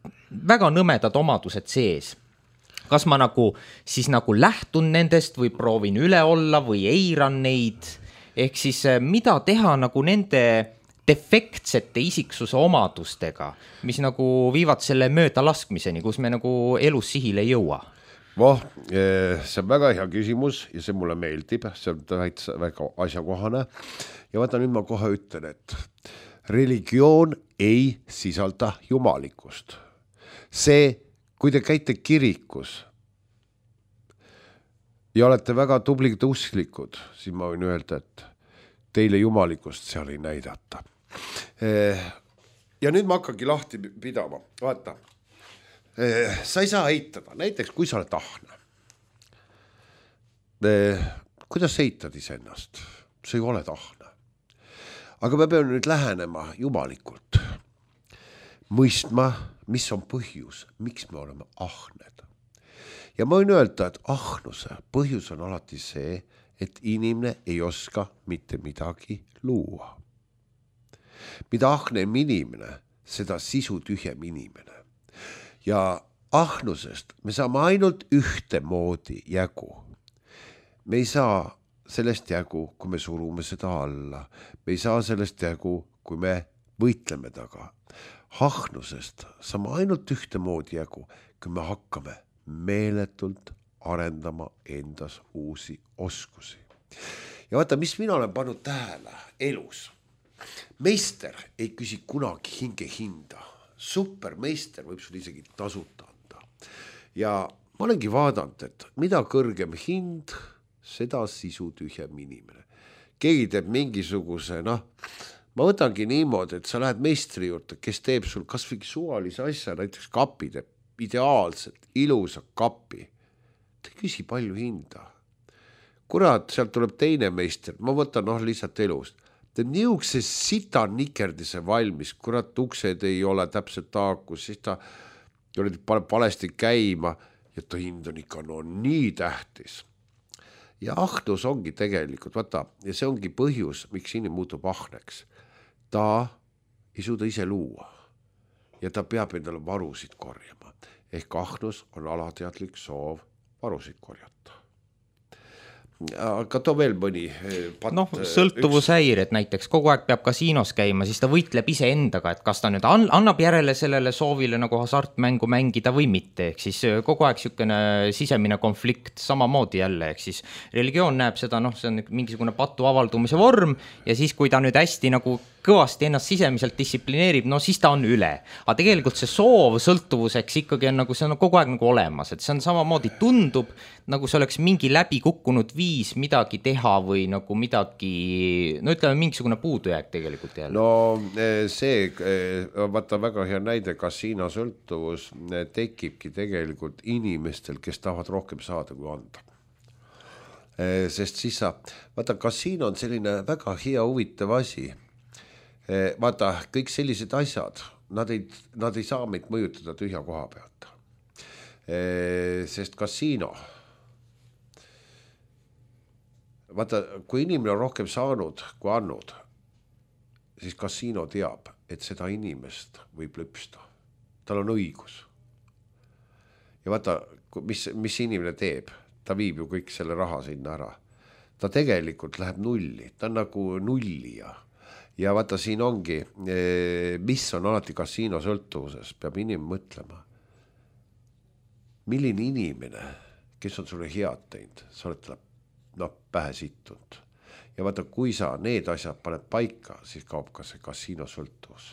väga nõmedad omadused sees. Kas ma siis lähtun nendest või proovin üle olla või eiran neid? Ehk siis mida teha nende defektsete isiksuse omadustega, mis viivad selle mööda laskmiseni, kus me elus sihile ei jõua? See on väga hea küsimus ja see mulle meeldib, see on täitsa väga asjakohane. Ja vaata nüüd ma kohe ütlen, et religioon ei sisalda jumalikkust. See, kui te käite kirikus ja olete väga tublid usklikud, siis ma võin öelda, et teile jumalikkust seal ei näidata. Ja nüüd ma hakkagi lahti pidama. Vaata, sa ei saa eitada, näiteks kui sa oled ahne. Kuidas sa eitad iseennast? Sa ei ole ahne. Aga me peame nüüd lähenema jumalikult. Mõistma, mis on põhjus, miks me oleme ahned. Ja ma võin öelda, et ahnuse põhjus on alati see, et inimene ei oska mitte midagi luua. Mida ahnem inimene, seda sisu tühjem inimene. Ja ahnusest me saame ainult ühte moodi jägu. Me ei saa sellest jägu, kui me surume seda alla. Me ei saa sellest jägu, kui me võitleme taga. Ahnusest saame ainult ühte moodi jägu, kui me hakkame meeletult arendama endas uusi oskusi. Ja vaata, mis mina olen pannud tähele elus. Meister ei küsi kunagi hinge hinda. Supermeister võib sul isegi tasuta anda. Ja ma olengi vaadanud, et mida kõrgem hind, seda sisu tühjem inimene. Keegi teeb mingisuguse, ma võtangi niimoodi, et sa lähed meistri juurde, kes teeb sul kas või suvalise asja, näiteks kapi teeb ideaalselt, ilusa kapi. Ta ei küsi palju hinda. Kurat, sealt tuleb teine meister, ma võtan lihtsalt elust. Teeb niisuguse sita nikerdise valmis, kurat, uksed ei ole täpselt taakus, siis ta paneb valesti käima ja ta hind on ikka nii tähtis. Ja ahnus ongi tegelikult, vaata, ja see ongi põhjus, miks inimene muutub ahneks. Ta ei suuda ise luua ja ta peab endale varusid korjama. Ehk ahnus on alateadlik soov varusid korjata. Aga too veel mõni sõltuvushäired näiteks, kogu aeg peab kasiinos käima, siis ta võitleb ise endaga, et kas ta nüüd annab järele sellele soovile hasartmängu mängida või mitte, ehk siis kogu aeg sükene sisemine konflikt samamoodi jälle, ehk siis religioon näeb seda, see on mingisugune patu avaldumise vorm ja siis kui ta nüüd hästi kõvasti ennast sisemiselt distsiplineerib, siis ta on üle. Aga tegelikult see soov sõltuvuseks ikkagi on see on kogu aeg olemas, et see on samamoodi tundub, see oleks mingi läbi kukkunud viis midagi teha või midagi, ütleme mingisugune puudujääk tegelikult jälle. See, vaata väga hea näide, kasiino sõltuvus tekibki tegelikult inimestel, kes tahavad rohkem saada kui anda. Sest siis vaata, kasiino on selline väga hea huvitav asi. Vaata, kõik sellised asjad, nad ei saa meid mõjutada tühja koha pealt. Sest kasiino, vaata, kui inimene on rohkem saanud kui andnud, siis kasiino teab, et seda inimest võib lüpsta. Tal on õigus. Ja vaata, mis inimene teeb, ta viib ju kõik selle raha sinna ära. Ta tegelikult läheb nulli, ta on nagu nullija. ja vaata, siin ongi, mis on alati kasiino sõltuvuses, peab inimene mõtlema. Milline inimene, kes on sulle head teinud, sa oled talle pähe sittunud. Ja vaata, kui sa need asjad paned paika, siis kaob ka see kasiino sõltuvus.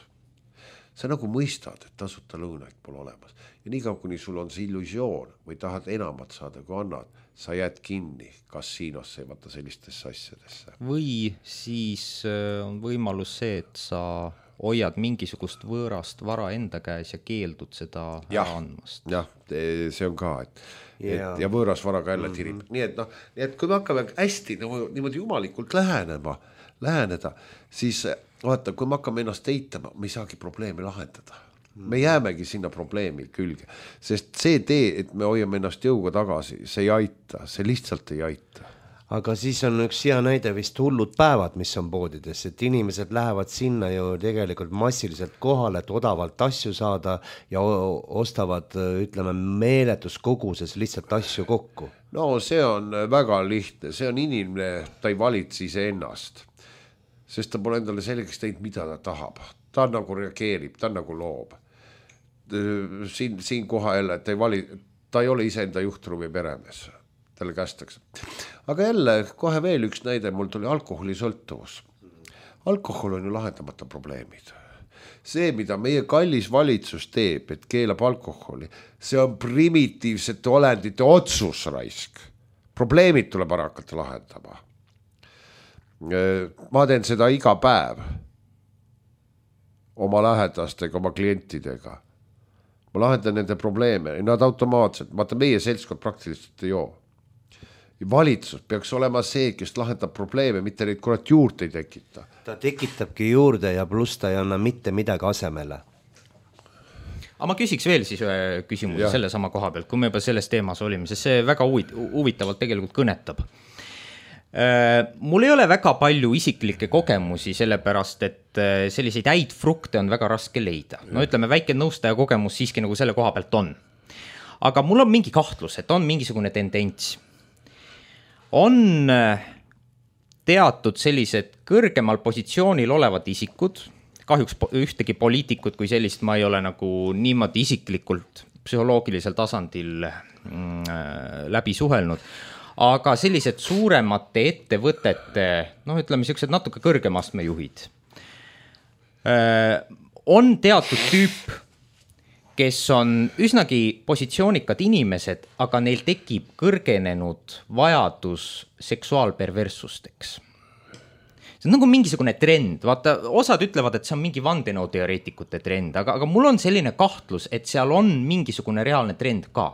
Sa nagu mõistad, et tasuta lõunaid pole olemas. Ja nii kaua, kuni sul on see illusioon või tahad enamat saada, kui annad, sa jääd kinni kasiinosse ja vaata sellistesse asjadesse. Või siis on võimalus see, et sa hoiad mingisugust võõrast vara enda käes ja keeldud seda ära andmast. Jah, see on ka, ja võõras vara ka jälle tirib. Nii et kui me hakkame hästi niimoodi jumalikult läheneda, siis vaata, kui me hakkame ennast eitama, me ei saagi probleemi lahendada. Me jäämegi sinna probleemi külge, sest see tee, et me hoiame ennast jõuga tagasi, see ei aita, see lihtsalt ei aita. Aga siis on üks hea näide vist hullud päevad, mis on poodides, et inimesed lähevad sinna ju tegelikult massiliselt kohale, et odavalt asju saada ja ostavad, ütleme, meeletus koguses lihtsalt asju kokku. No see on väga lihtne, see on inimene, ta ei valitse ise ennast, sest ta pole endale selgeks teinud, mida ta tahab. Ta nagu reageerib, ta nagu loob. Siin koha jälle, et ta ei ole ise enda juhtruumi peremees, talle kästakse. Aga jälle kohe veel üks näide, mul tuli alkoholisõltuvus. Alkohol on ju lahendamata probleemid. See, mida meie kallis valitsus teeb, et keelab alkoholi, see on primitiivsete olendite otsus raisk. Probleemid tuleb ära hakata lahendama. Ma teen seda iga päev oma lähedastega, oma klientidega. Ma lahendan nende probleeme, nad automaatselt, vaata meie seltskond praktiliselt ei joo. Valitsus peaks olema see, kes lahendab probleeme, mitte neid kurat juurde ei tekita. Ta tekitabki juurde ja pluss ta ei anna mitte midagi asemele. Aga ma küsiks veel siis ühe küsimuse selle sama koha pealt, kui me juba selles teemas olime, sest see väga huvitavalt tegelikult kõnetab. Mul ei ole väga palju isiklikke kogemusi, sellepärast, et selliseid häid frukte on väga raske leida. No ütleme, väike nõustaja kogemus siiski nagu selle koha pealt on. Aga mul on mingi kahtlus, et on mingisugune tendents. On teatud sellised kõrgemal positsioonil olevad isikud, kahjuks ühtegi poliitikut kui sellist ma ei ole nagu niimoodi isiklikult psühholoogilisel tasandil läbi suhelnud, aga sellised suuremate ettevõtete, ütleme sellised natuke kõrgemastme juhid, on teatud tüüp, kes on üsnagi positsioonikad inimesed, aga neil tekib kõrgenenud vajadus seksuaalperverssusteks. See on nagu mingisugune trend, vaata, osad ütlevad, et see on mingi vandenõuteoreetikute trend, aga mul on selline kahtlus, et seal on mingisugune reaalne trend ka.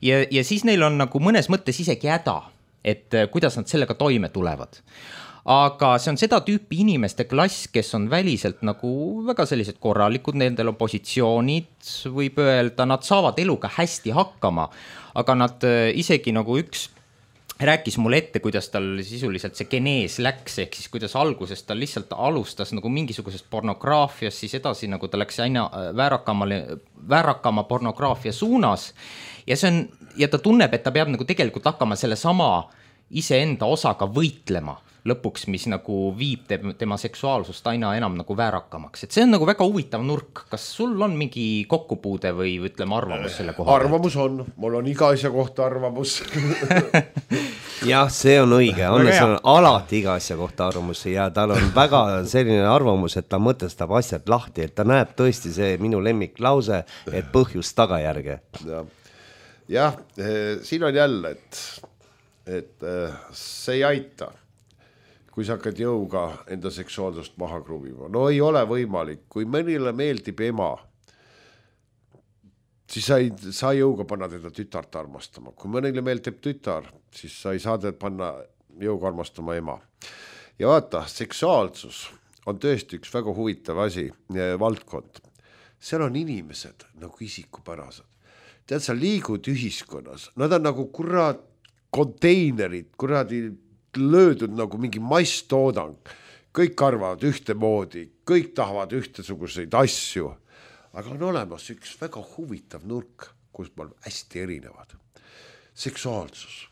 Ja siis neil on nagu mõnes mõttes isegi häda, et kuidas nad sellega toime tulevad. Aga see on seda tüüpi inimeste klass, kes on väliselt nagu väga sellised korralikud, nendel on positsioonid, võib öelda, nad saavad eluga hästi hakkama, aga nad isegi nagu üks rääkis mulle ette, kuidas tal sisuliselt see genees läks, ehk siis kuidas alguses ta lihtsalt alustas nagu mingisugusest pornograafiast, siis edasi nagu ta läks aina väärakama pornograafia suunas ja ta tunneb, et ta peab nagu tegelikult hakkama selle sama iseenda osaga võitlema lõpuks, mis nagu viib tema seksuaalsust aina enam nagu väärakamaks. Et see on nagu väga huvitav nurk. Kas sul on mingi kokkupuude või ütleme arvamus selle koha? Arvamus on, mul on iga asja kohta arvamus. Jah, see on õige. Annes on alati iga asja kohta arvamus ja tal on väga selline arvamus, et ta mõtestab asjad lahti, et ta näeb tõesti see minu lemmiklause, et põhjus tagajärge. Jah, siin on jälle, et see ei aita, kui sa hakkad jõuga enda seksuaalsust maha kruvima. No ei ole võimalik, kui mõnile meeldib ema, siis sa ei jõuga panna teda tütart armastama. Kui mõnile meeldib tütar, siis sa ei saa teda panna jõuga armastama ema. Ja vaata, seksuaalsus on tõesti üks väga huvitav asi, valdkond. Seal on inimesed nagu isikupärased. Tead, sa liigud ühiskonnas, nad on nagu kurat konteinerid, kuradi löödud nagu mingi masstoodang. Kõik arvavad ühtemoodi, kõik tahavad ühtesuguseid asju. Aga on olemas üks väga huvitav nurk, kus me oleme hästi erinevad. Seksuaalsus.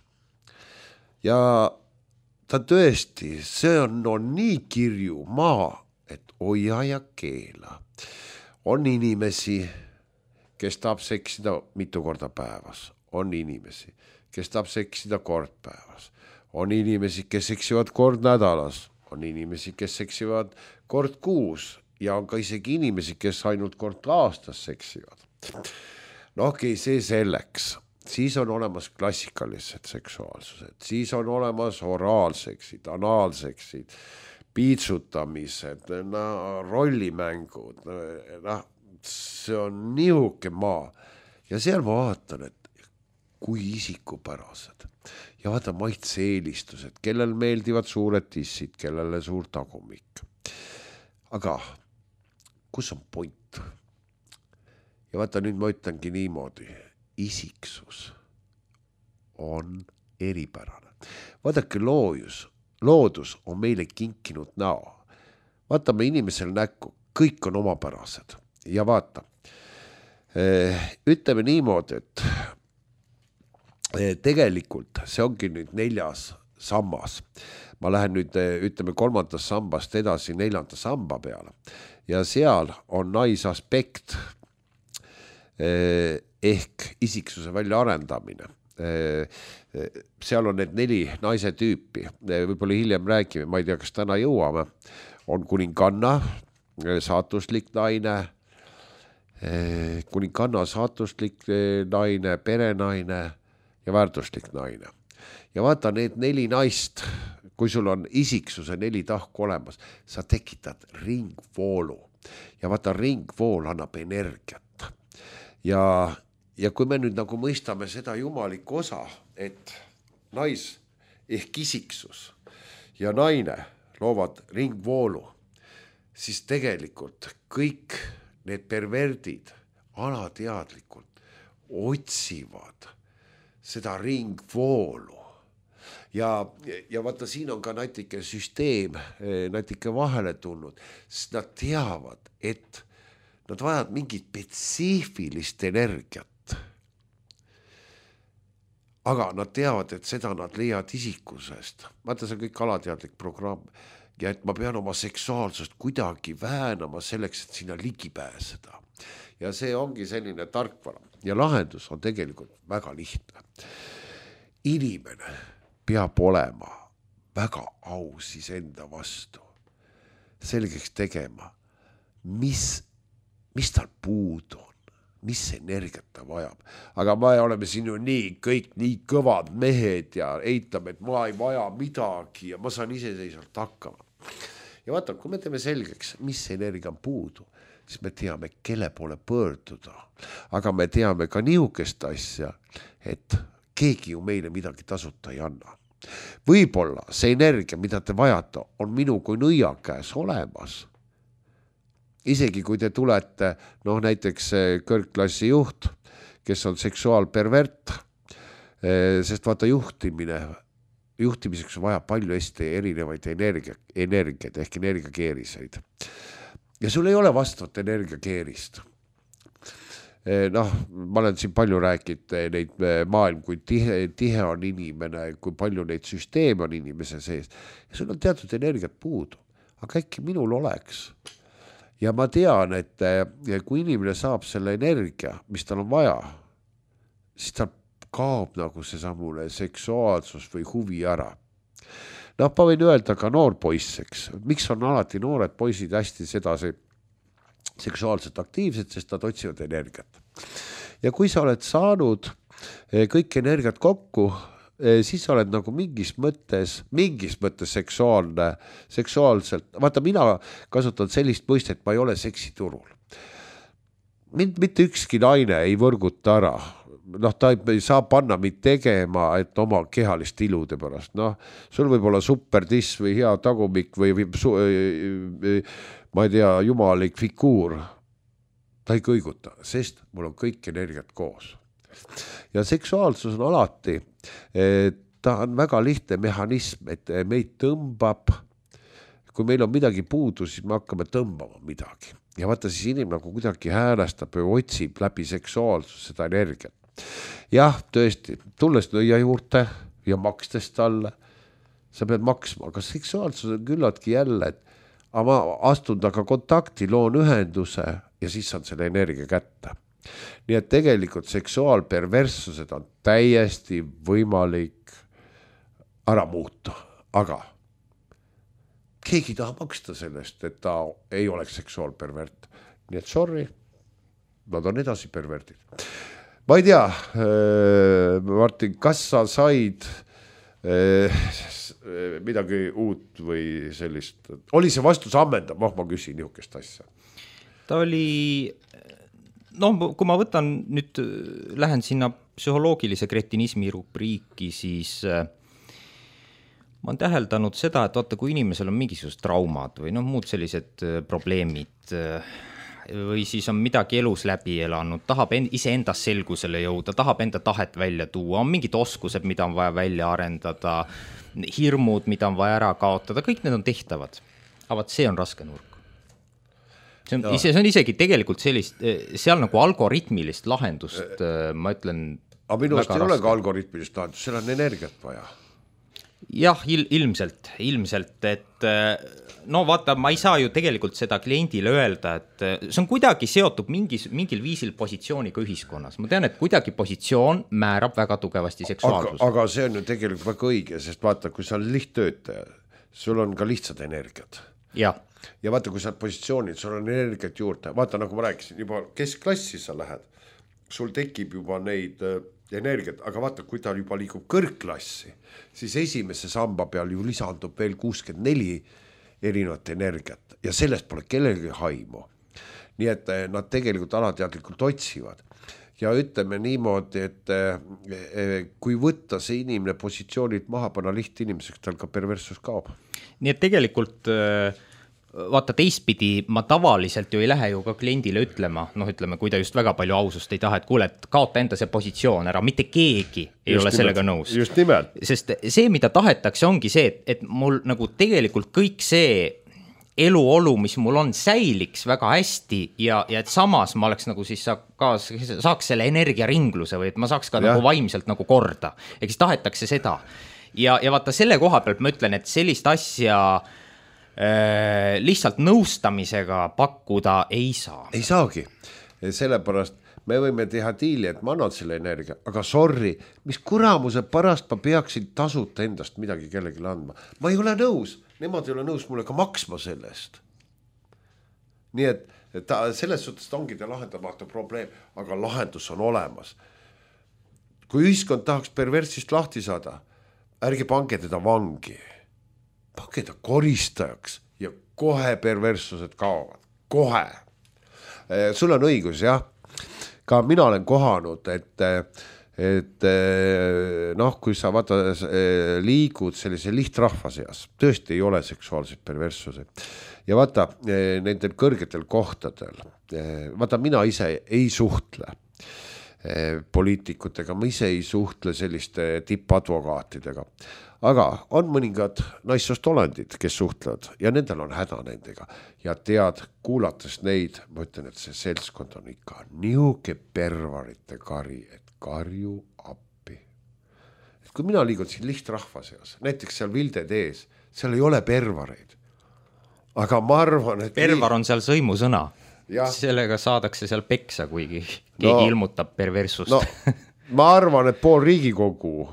Ja ta tõesti, see on nii kirju maa, et hoia ja keela. On inimesi, kes tahab seksida mitu korda päevas, on inimesi, kes tahab seksida kord päevas, on inimesi, kes seksivad kord nädalas, on inimesi, kes seksivad kord kuus ja on ka isegi inimesi, kes ainult kord aastas seksivad. No okei, see selleks. Siis on olemas klassikalised seksuaalsused, siis on olemas oraalseksid, analseksid, piitsutamised, rollimängud, see on nihuke maa. Ja seal ma vaatan, et kui isikupärased ja vaata maitse-eelistused, kellel meeldivad suured tissid, kellele suur tagumik. Aga kus on point? Ja vaata, nüüd ma ütlengi niimoodi, isiksus on eripärane. Vaadake, loodus on meile kinkinud näo. Vaatame inimesel näkku, kõik on omapärased. Ja vaata, ütleme niimoodi, et tegelikult see ongi nüüd 4. sammas. Ma lähen nüüd, ütleme 3. sambast edasi 4. samba peale. Ja seal on naisaspekt ehk isiksuse välja arendamine. Seal on need 4 naise tüüpi, võib-olla hiljem räägime, ma ei tea, kas täna jõuame, on kuninganna, saatuslik naine, kuninganna, saatuslik naine, perenaine ja väärtuslik naine. Ja vaata need 4 naist, kui sul on isiksuse 4 tahku olemas, sa tekitad ringvoolu ja vaata ringvool annab energiat. Ja kui me nüüd nagu mõistame seda jumalikku osa, et nais ehk isiksus ja naine loovad ringvoolu, siis tegelikult kõik need perverdid alateadlikult otsivad seda ringvoolu. Ja vaata, siin on ka natuke süsteem, natuke vahele tulnud, sest nad teavad, et nad vajavad mingit spetsiifilist energiat. Aga nad teavad, et seda nad leiavad isikusest. Vaata, see on kõik alateadlik programm. Ja et ma pean oma seksuaalsust kuidagi väänama selleks, et sinna ligi pääseda. Ja see ongi selline tarkvara. Ja lahendus on tegelikult väga lihtne. Inimene peab olema väga aus enda vastu. Selgeks tegema, mis tal puudu on, mis energiat ta vajab. Aga me oleme siin ju kõik nii kõvad mehed ja eitame, et ma ei vaja midagi ja ma saan iseseisvalt hakkama. Ja vaata, kui me teeme selgeks, mis energia on puudu, siis me teame, kelle poole pöörduda. Aga me teame ka niisugust asja, et keegi ju meile midagi tasuta ei anna. Võib-olla see energia, mida te vajate, on minu kui nõia käes olemas. Isegi kui te tulete, näiteks kõrgklassi juht, kes on seksuaalpervert, sest vaata juhtimiseks vaja palju hästi erinevaid energiaid ehk energiakeeriseid. Ja sul ei ole vastavat energiakeerist. Ma olen siin palju rääkinud neid maailm, kui tihe on inimene, kui palju neid süsteeme on inimese sees. Ja sul on teatud energiat puudu, aga äkki minul oleks. Ja ma tean, et kui inimene saab selle energia, mis tal on vaja, siis tal kaob nagu see samune seksuaalsus või huvi ära. Ma võin öelda ka noorpoisseks. Miks on alati noored poisid hästi sedasi seksuaalselt aktiivsed, sest nad otsivad energiat. Ja kui sa oled saanud kõik energiat kokku, siis sa oled nagu mingis mõttes seksuaalselt. Vaata, mina kasutan sellist mõistet, ma ei ole seksiturul. Mind mitte ükski naine ei võrguta ära. Ta ei saa panna mind tegema, et oma kehalist ilude pärast. Sul võib olla supertiss või hea tagumik või ma ei tea, jumalik figuur. Ta ei kõiguta, sest mul on kõik energiat koos. Ja seksuaalsus on alati, ta on väga lihtne mehhanism, et meid tõmbab, kui meil on midagi puudu, siis me hakkame tõmbama midagi. Ja vaata, siis inimene nagu kuidagi häälestab või otsib läbi seksuaalsus seda energiat. Jah, tõesti, tulles nõia juurde ja makstes talle, sa pead maksma, aga seksuaalsus on küllaltki jälle, et aga ma astun taga kontakti, loon ühenduse ja siis saan selle energia kätte. Nii et tegelikult seksuaalperverssused on täiesti võimalik ära muuta, aga keegi ei taha maksta sellest, et ta ei oleks seksuaalpervert. Nii et sorry, nad on edasi perverdid. Ma ei tea, Martin, kas sa said midagi uut või sellist? Oli see vastus ammendav? Ma küsin niisugust asja. Ta oli, kui ma võtan nüüd, lähen sinna psühholoogilise kretinismi rubriiki, siis ma olen täheldanud seda, et vaata, kui inimesel on mingisugused traumad või muud sellised probleemid või siis on midagi elus läbi elanud, tahab iseendas selgusele jõuda, tahab enda tahet välja tuua, on mingid oskused, mida on vaja välja arendada, hirmud, mida on vaja ära kaotada, kõik need on tehtavad. Aga see on raske nurk. See on isegi tegelikult sellist, seal nagu algoritmilist lahendust, ma ütlen. Aga minu arust ei ole ka algoritmilist lahendust, seal on energiat vaja. Jah, ilmselt, et vaata, ma ei saa ju tegelikult seda kliendile öelda, et see on kuidagi seotud mingil viisil positsiooniga ühiskonnas. Ma tean, et kuidagi positsioon määrab väga tugevasti seksuaalsust. Aga see on ju tegelikult väga õige, sest vaata, kui sa oled lihttöötaja, sul on ka lihtsad energiat. Ja vaata, kui sa oled positsioonid, sul on energiat juurde. Vaata, nagu ma rääkisin, juba keskklassi sa lähed, sul tekib juba neid energiat, aga vaata, kui ta juba liigub kõrgklassi, siis esimese samba peal ju lisandub veel 64 erinevat energiat ja sellest pole kellelgi haimu. Nii et nad tegelikult alateadlikult otsivad. Ja ütleme niimoodi, et kui võtta see inimene positsioonid maha, panna lihtinimeseks, tal ka perversus kaob. Nii et tegelikult vaata teistpidi, ma tavaliselt ju ei lähe ju ka kliendile ütlema, ütleme, kui ta just väga palju ausust ei taha, et kuule, et kaota enda see positsioon ära, mitte keegi ei ole sellega nõus. Just nimelt. Sest see, mida tahetakse, ongi see, et mul nagu tegelikult kõik see eluolu, mis mul on, säiliks väga hästi ja et samas ma oleks nagu siis saaks selle energiaringluse või et ma saaks ka nagu vaimselt nagu korda. Eks tahetakse seda. Ja vaata selle koha pealt ma ütlen, et sellist asja lihtsalt nõustamisega pakkuda ei saa. Ei saagi. Sellepärast me võime teha diili, et ma annan selle energia, aga sorry, mis kuramuse pärast ma peaksin tasuta endast midagi kellelegi andma. Ma ei ole nõus, nemad ei ole nõus mulle ka maksma sellest. Nii et selles suhtes ongi ta lahendamata probleem, aga lahendus on olemas. Kui ühiskond tahaks perversist lahti saada, ärge pange teda vangi. Pange ta koristajaks ja kohe perverssused kaovad. Kohe. Sul on õigus, jah. Ka mina olen kohanud, et kui sa liigud sellise lihtrahva seas, tõesti ei ole seksuaalseid perverssusi. Ja vaata, nendel kõrgetel kohtadel, vaata, mina ise ei suhtle poliitikutega, ma ise ei suhtle selliste tippadvokaatidega. Aga on mõningad naissoost olendid, kes suhtlevad ja nendel on häda nendega. Ja tead, kuulates neid, ma ütlen, et see seltskond on ikka niuke pervarite kari, et karju appi. Et kui mina liigun siin lihtrahva seas, näiteks seal Vilded ees, seal ei ole pervareid. Aga ma arvan, et pervar on seal sõimusõna. Ja. Sellega saadakse seal peksa, kuigi keegi ilmutab perversust. Ma arvan, et pool Riigikogu,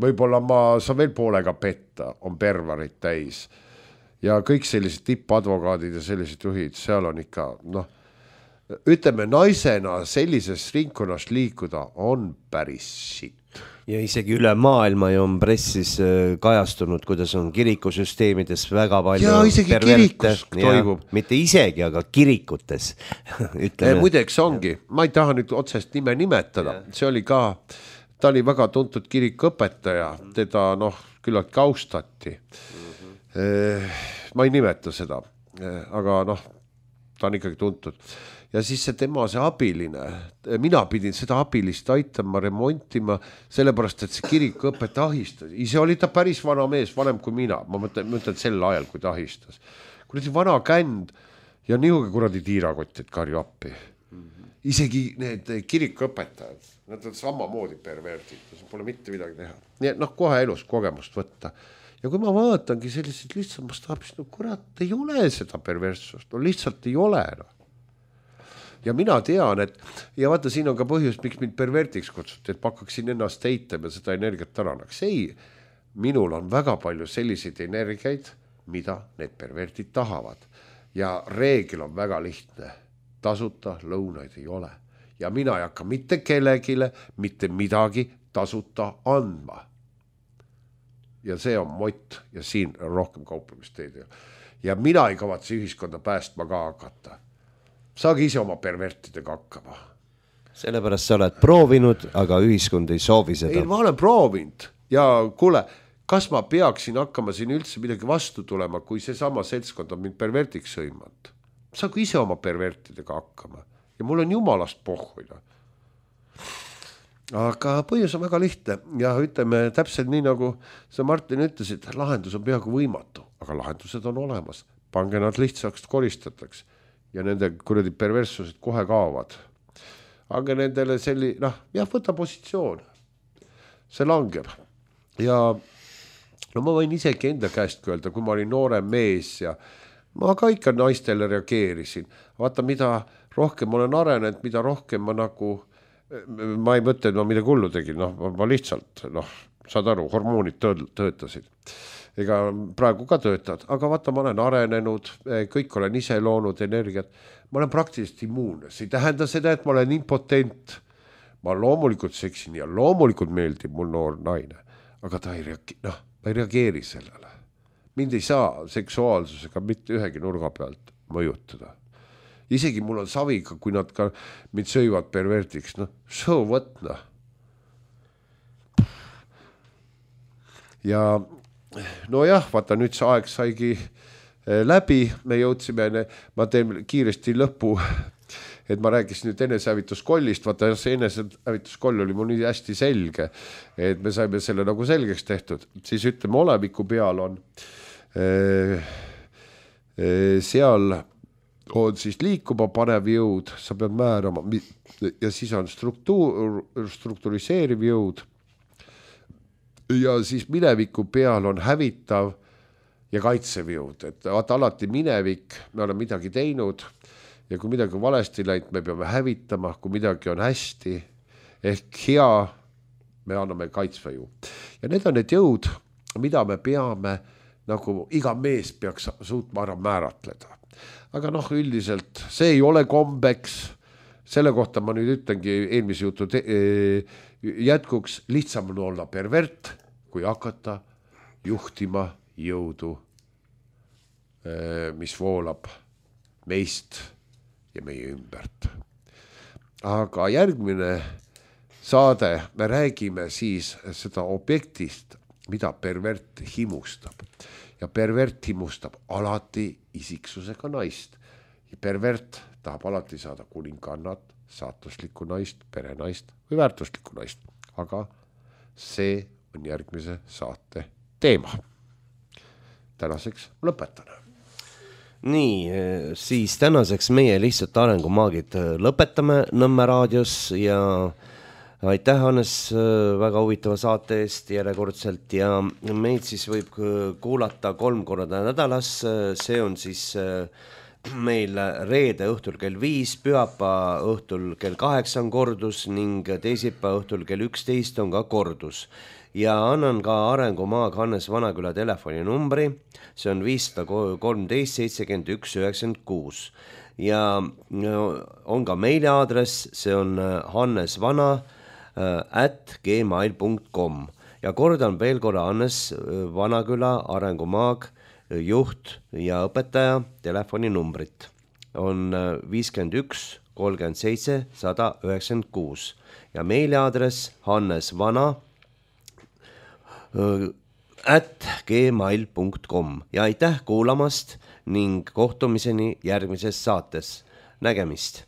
võib-olla ma saan veel poolega petta, on pervareid täis. Ja kõik sellised tippadvokaadid ja sellised juhid, seal on ikka, ütleme, naisena sellises ringkonnast liikuda on päris sitt. Ja isegi üle maailma ju on pressis kajastunud, kuidas on kirikusüsteemides väga palju ja isegi kirikus toimub. Mitte isegi, aga kirikutes. Muideks ongi, ma ei taha nüüd otsest nime nimetada, see oli ka, ta oli väga tuntud kirikuõpetaja, teda küllalt kaustati. Ma ei nimeta seda, aga ta on ikkagi tuntud. Ja siis see tema see abiline, mina pidin seda abilist aitama, remontima, sellepärast, et see kirikuõpet ahistas. Ise oli ta päris vana mees, vanem kui mina. Ma mõtlen sel ajal, kui ta ahistas. Kuradi vana känd ja nihuke kuradi tiirakott, et karju appi. Isegi need kirikuõpetajad, nad on samamoodi pervertid, pole mitte midagi teha. Nii et kohe elus kogemust võtta. ja kui ma vaatangi selliseid lihtsalt mastaabis, no kurat, ei ole seda perverssust, no lihtsalt ei ole. No. Ja mina tean, et ja vaata, siin on ka põhjus, miks mind pervertiks kutsuti, et ma hakkaksin ennast heitem ja seda energiat tarannaks. Ei, minul on väga palju selliseid energiaid, mida need pervertid tahavad. Ja reegel on väga lihtne. Tasuta lõunaid ei ole. Ja mina ei hakka mitte kellegile, mitte midagi tasuta andma. Ja see on mott ja siin on rohkem kauplemisteed. Ja mina ei kavatse ühiskonda päästma ka hakata. Saagi ise oma pervertidega hakkama. Sellepärast sa oled proovinud, aga ühiskond ei soovi seda. Ei, ma olen proovinud ja kuule, kas ma peaksin hakkama siin üldse midagi vastu tulema, kui see sama seltskond on mind pervertiks sõimanud? Saagi ise oma pervertidega hakkama ja mul on jumalast pohhuida. Aga põhjus on väga lihtne ja ütleme täpselt nii, nagu sa Martin ütlesid, lahendus on peaaegu võimatu, aga lahendused on olemas. Pange nad lihtsaks koristataks ja nende kuradi perverssused kohe kaovad. Aga nendele võta positsioon. See langeb. Ja no ma võin isegi enda käest öelda, kui ma olin noorem mees ja ma ka ikka naistele reageerisin. Vaata, mida rohkem olen arenenud, mida rohkem ma ma ei mõtle, et ma midagi hullu tegin, ma lihtsalt, saad aru, hormoonid töötasid. Ega praegu ka töötad, aga vaata, ma olen arenenud, kõik olen ise loonud energiat, ma olen praktiliselt immuunne, see ei tähenda seda, et ma olen impotent, ma loomulikult seksin ja loomulikult meeldib mul noor naine, aga ta ei reageeri sellele. Mind ei saa seksuaalsusega mitte ühegi nurga pealt mõjutada. Isegi mul on saviga, kui nad ka mind söivad pervertiks, so what. Ja nojah, vaata nüüd see aeg saigi läbi, me jõudsime, ma teen kiiresti lõpu, et ma rääkisin nüüd enesehävituskollist, vaata see enesehävituskoll oli mul nii hästi selge, et me saime selle nagu selgeks tehtud, siis ütleme, oleviku peal on seal on siis liikuma panev jõud, sa pead määrama ja siis on struktuuriseeriv jõud ja siis mineviku peal on hävitav ja kaitsev jõud, et vaata alati minevik, me oleme midagi teinud ja kui midagi on valesti läinud, me peame hävitama, kui midagi on hästi ehk hea, me anname kaitsva jõud. Ja need on need jõud, mida me peame, nagu iga mees peaks suutma ära määratleda. Aga üldiselt see ei ole kombeks, selle kohta ma nüüd ütlengi eelmise jutu jätkuks, lihtsam on olla pervert, kui hakata juhtima jõudu, mis voolab meist ja meie ümbert. Aga järgmine saade, me räägime siis seda objektist, mida pervert himustab. Ja pervert himustab alati isiksusega naist. Ja pervert tahab alati saada kuningannat, saatuslikku naist, perenaist või väärtuslikku naist. Aga see on järgmise saate teema. Tänaseks lõpetan. Nii, siis tänaseks meie lihtsalt arengumaagid lõpetame Nõmme raadios ja aitäh, Hannes, väga huvitava saate eest järjekordselt ja meid siis võib kuulata 3 korda nädalas, see on siis meil reede õhtul kell 5, pühapäeva õhtul kell 8 on kordus ning teisipäeva õhtul kell 11 on ka kordus. Ja annan ka arengumaag Hannes Vanaküla telefoninumbri, see on 513 71 96 ja on ka meiliaadress, see on hannesvana@gmail.com ja kordan veel korra Hannes Vanaküla arengumaag juht ja õpetaja telefoninumbrit on 51 37 196 ja meiliaadress hannesvana@gmail.com ja aitäh kuulamast ning kohtumiseni järgmises saates. Nägemist!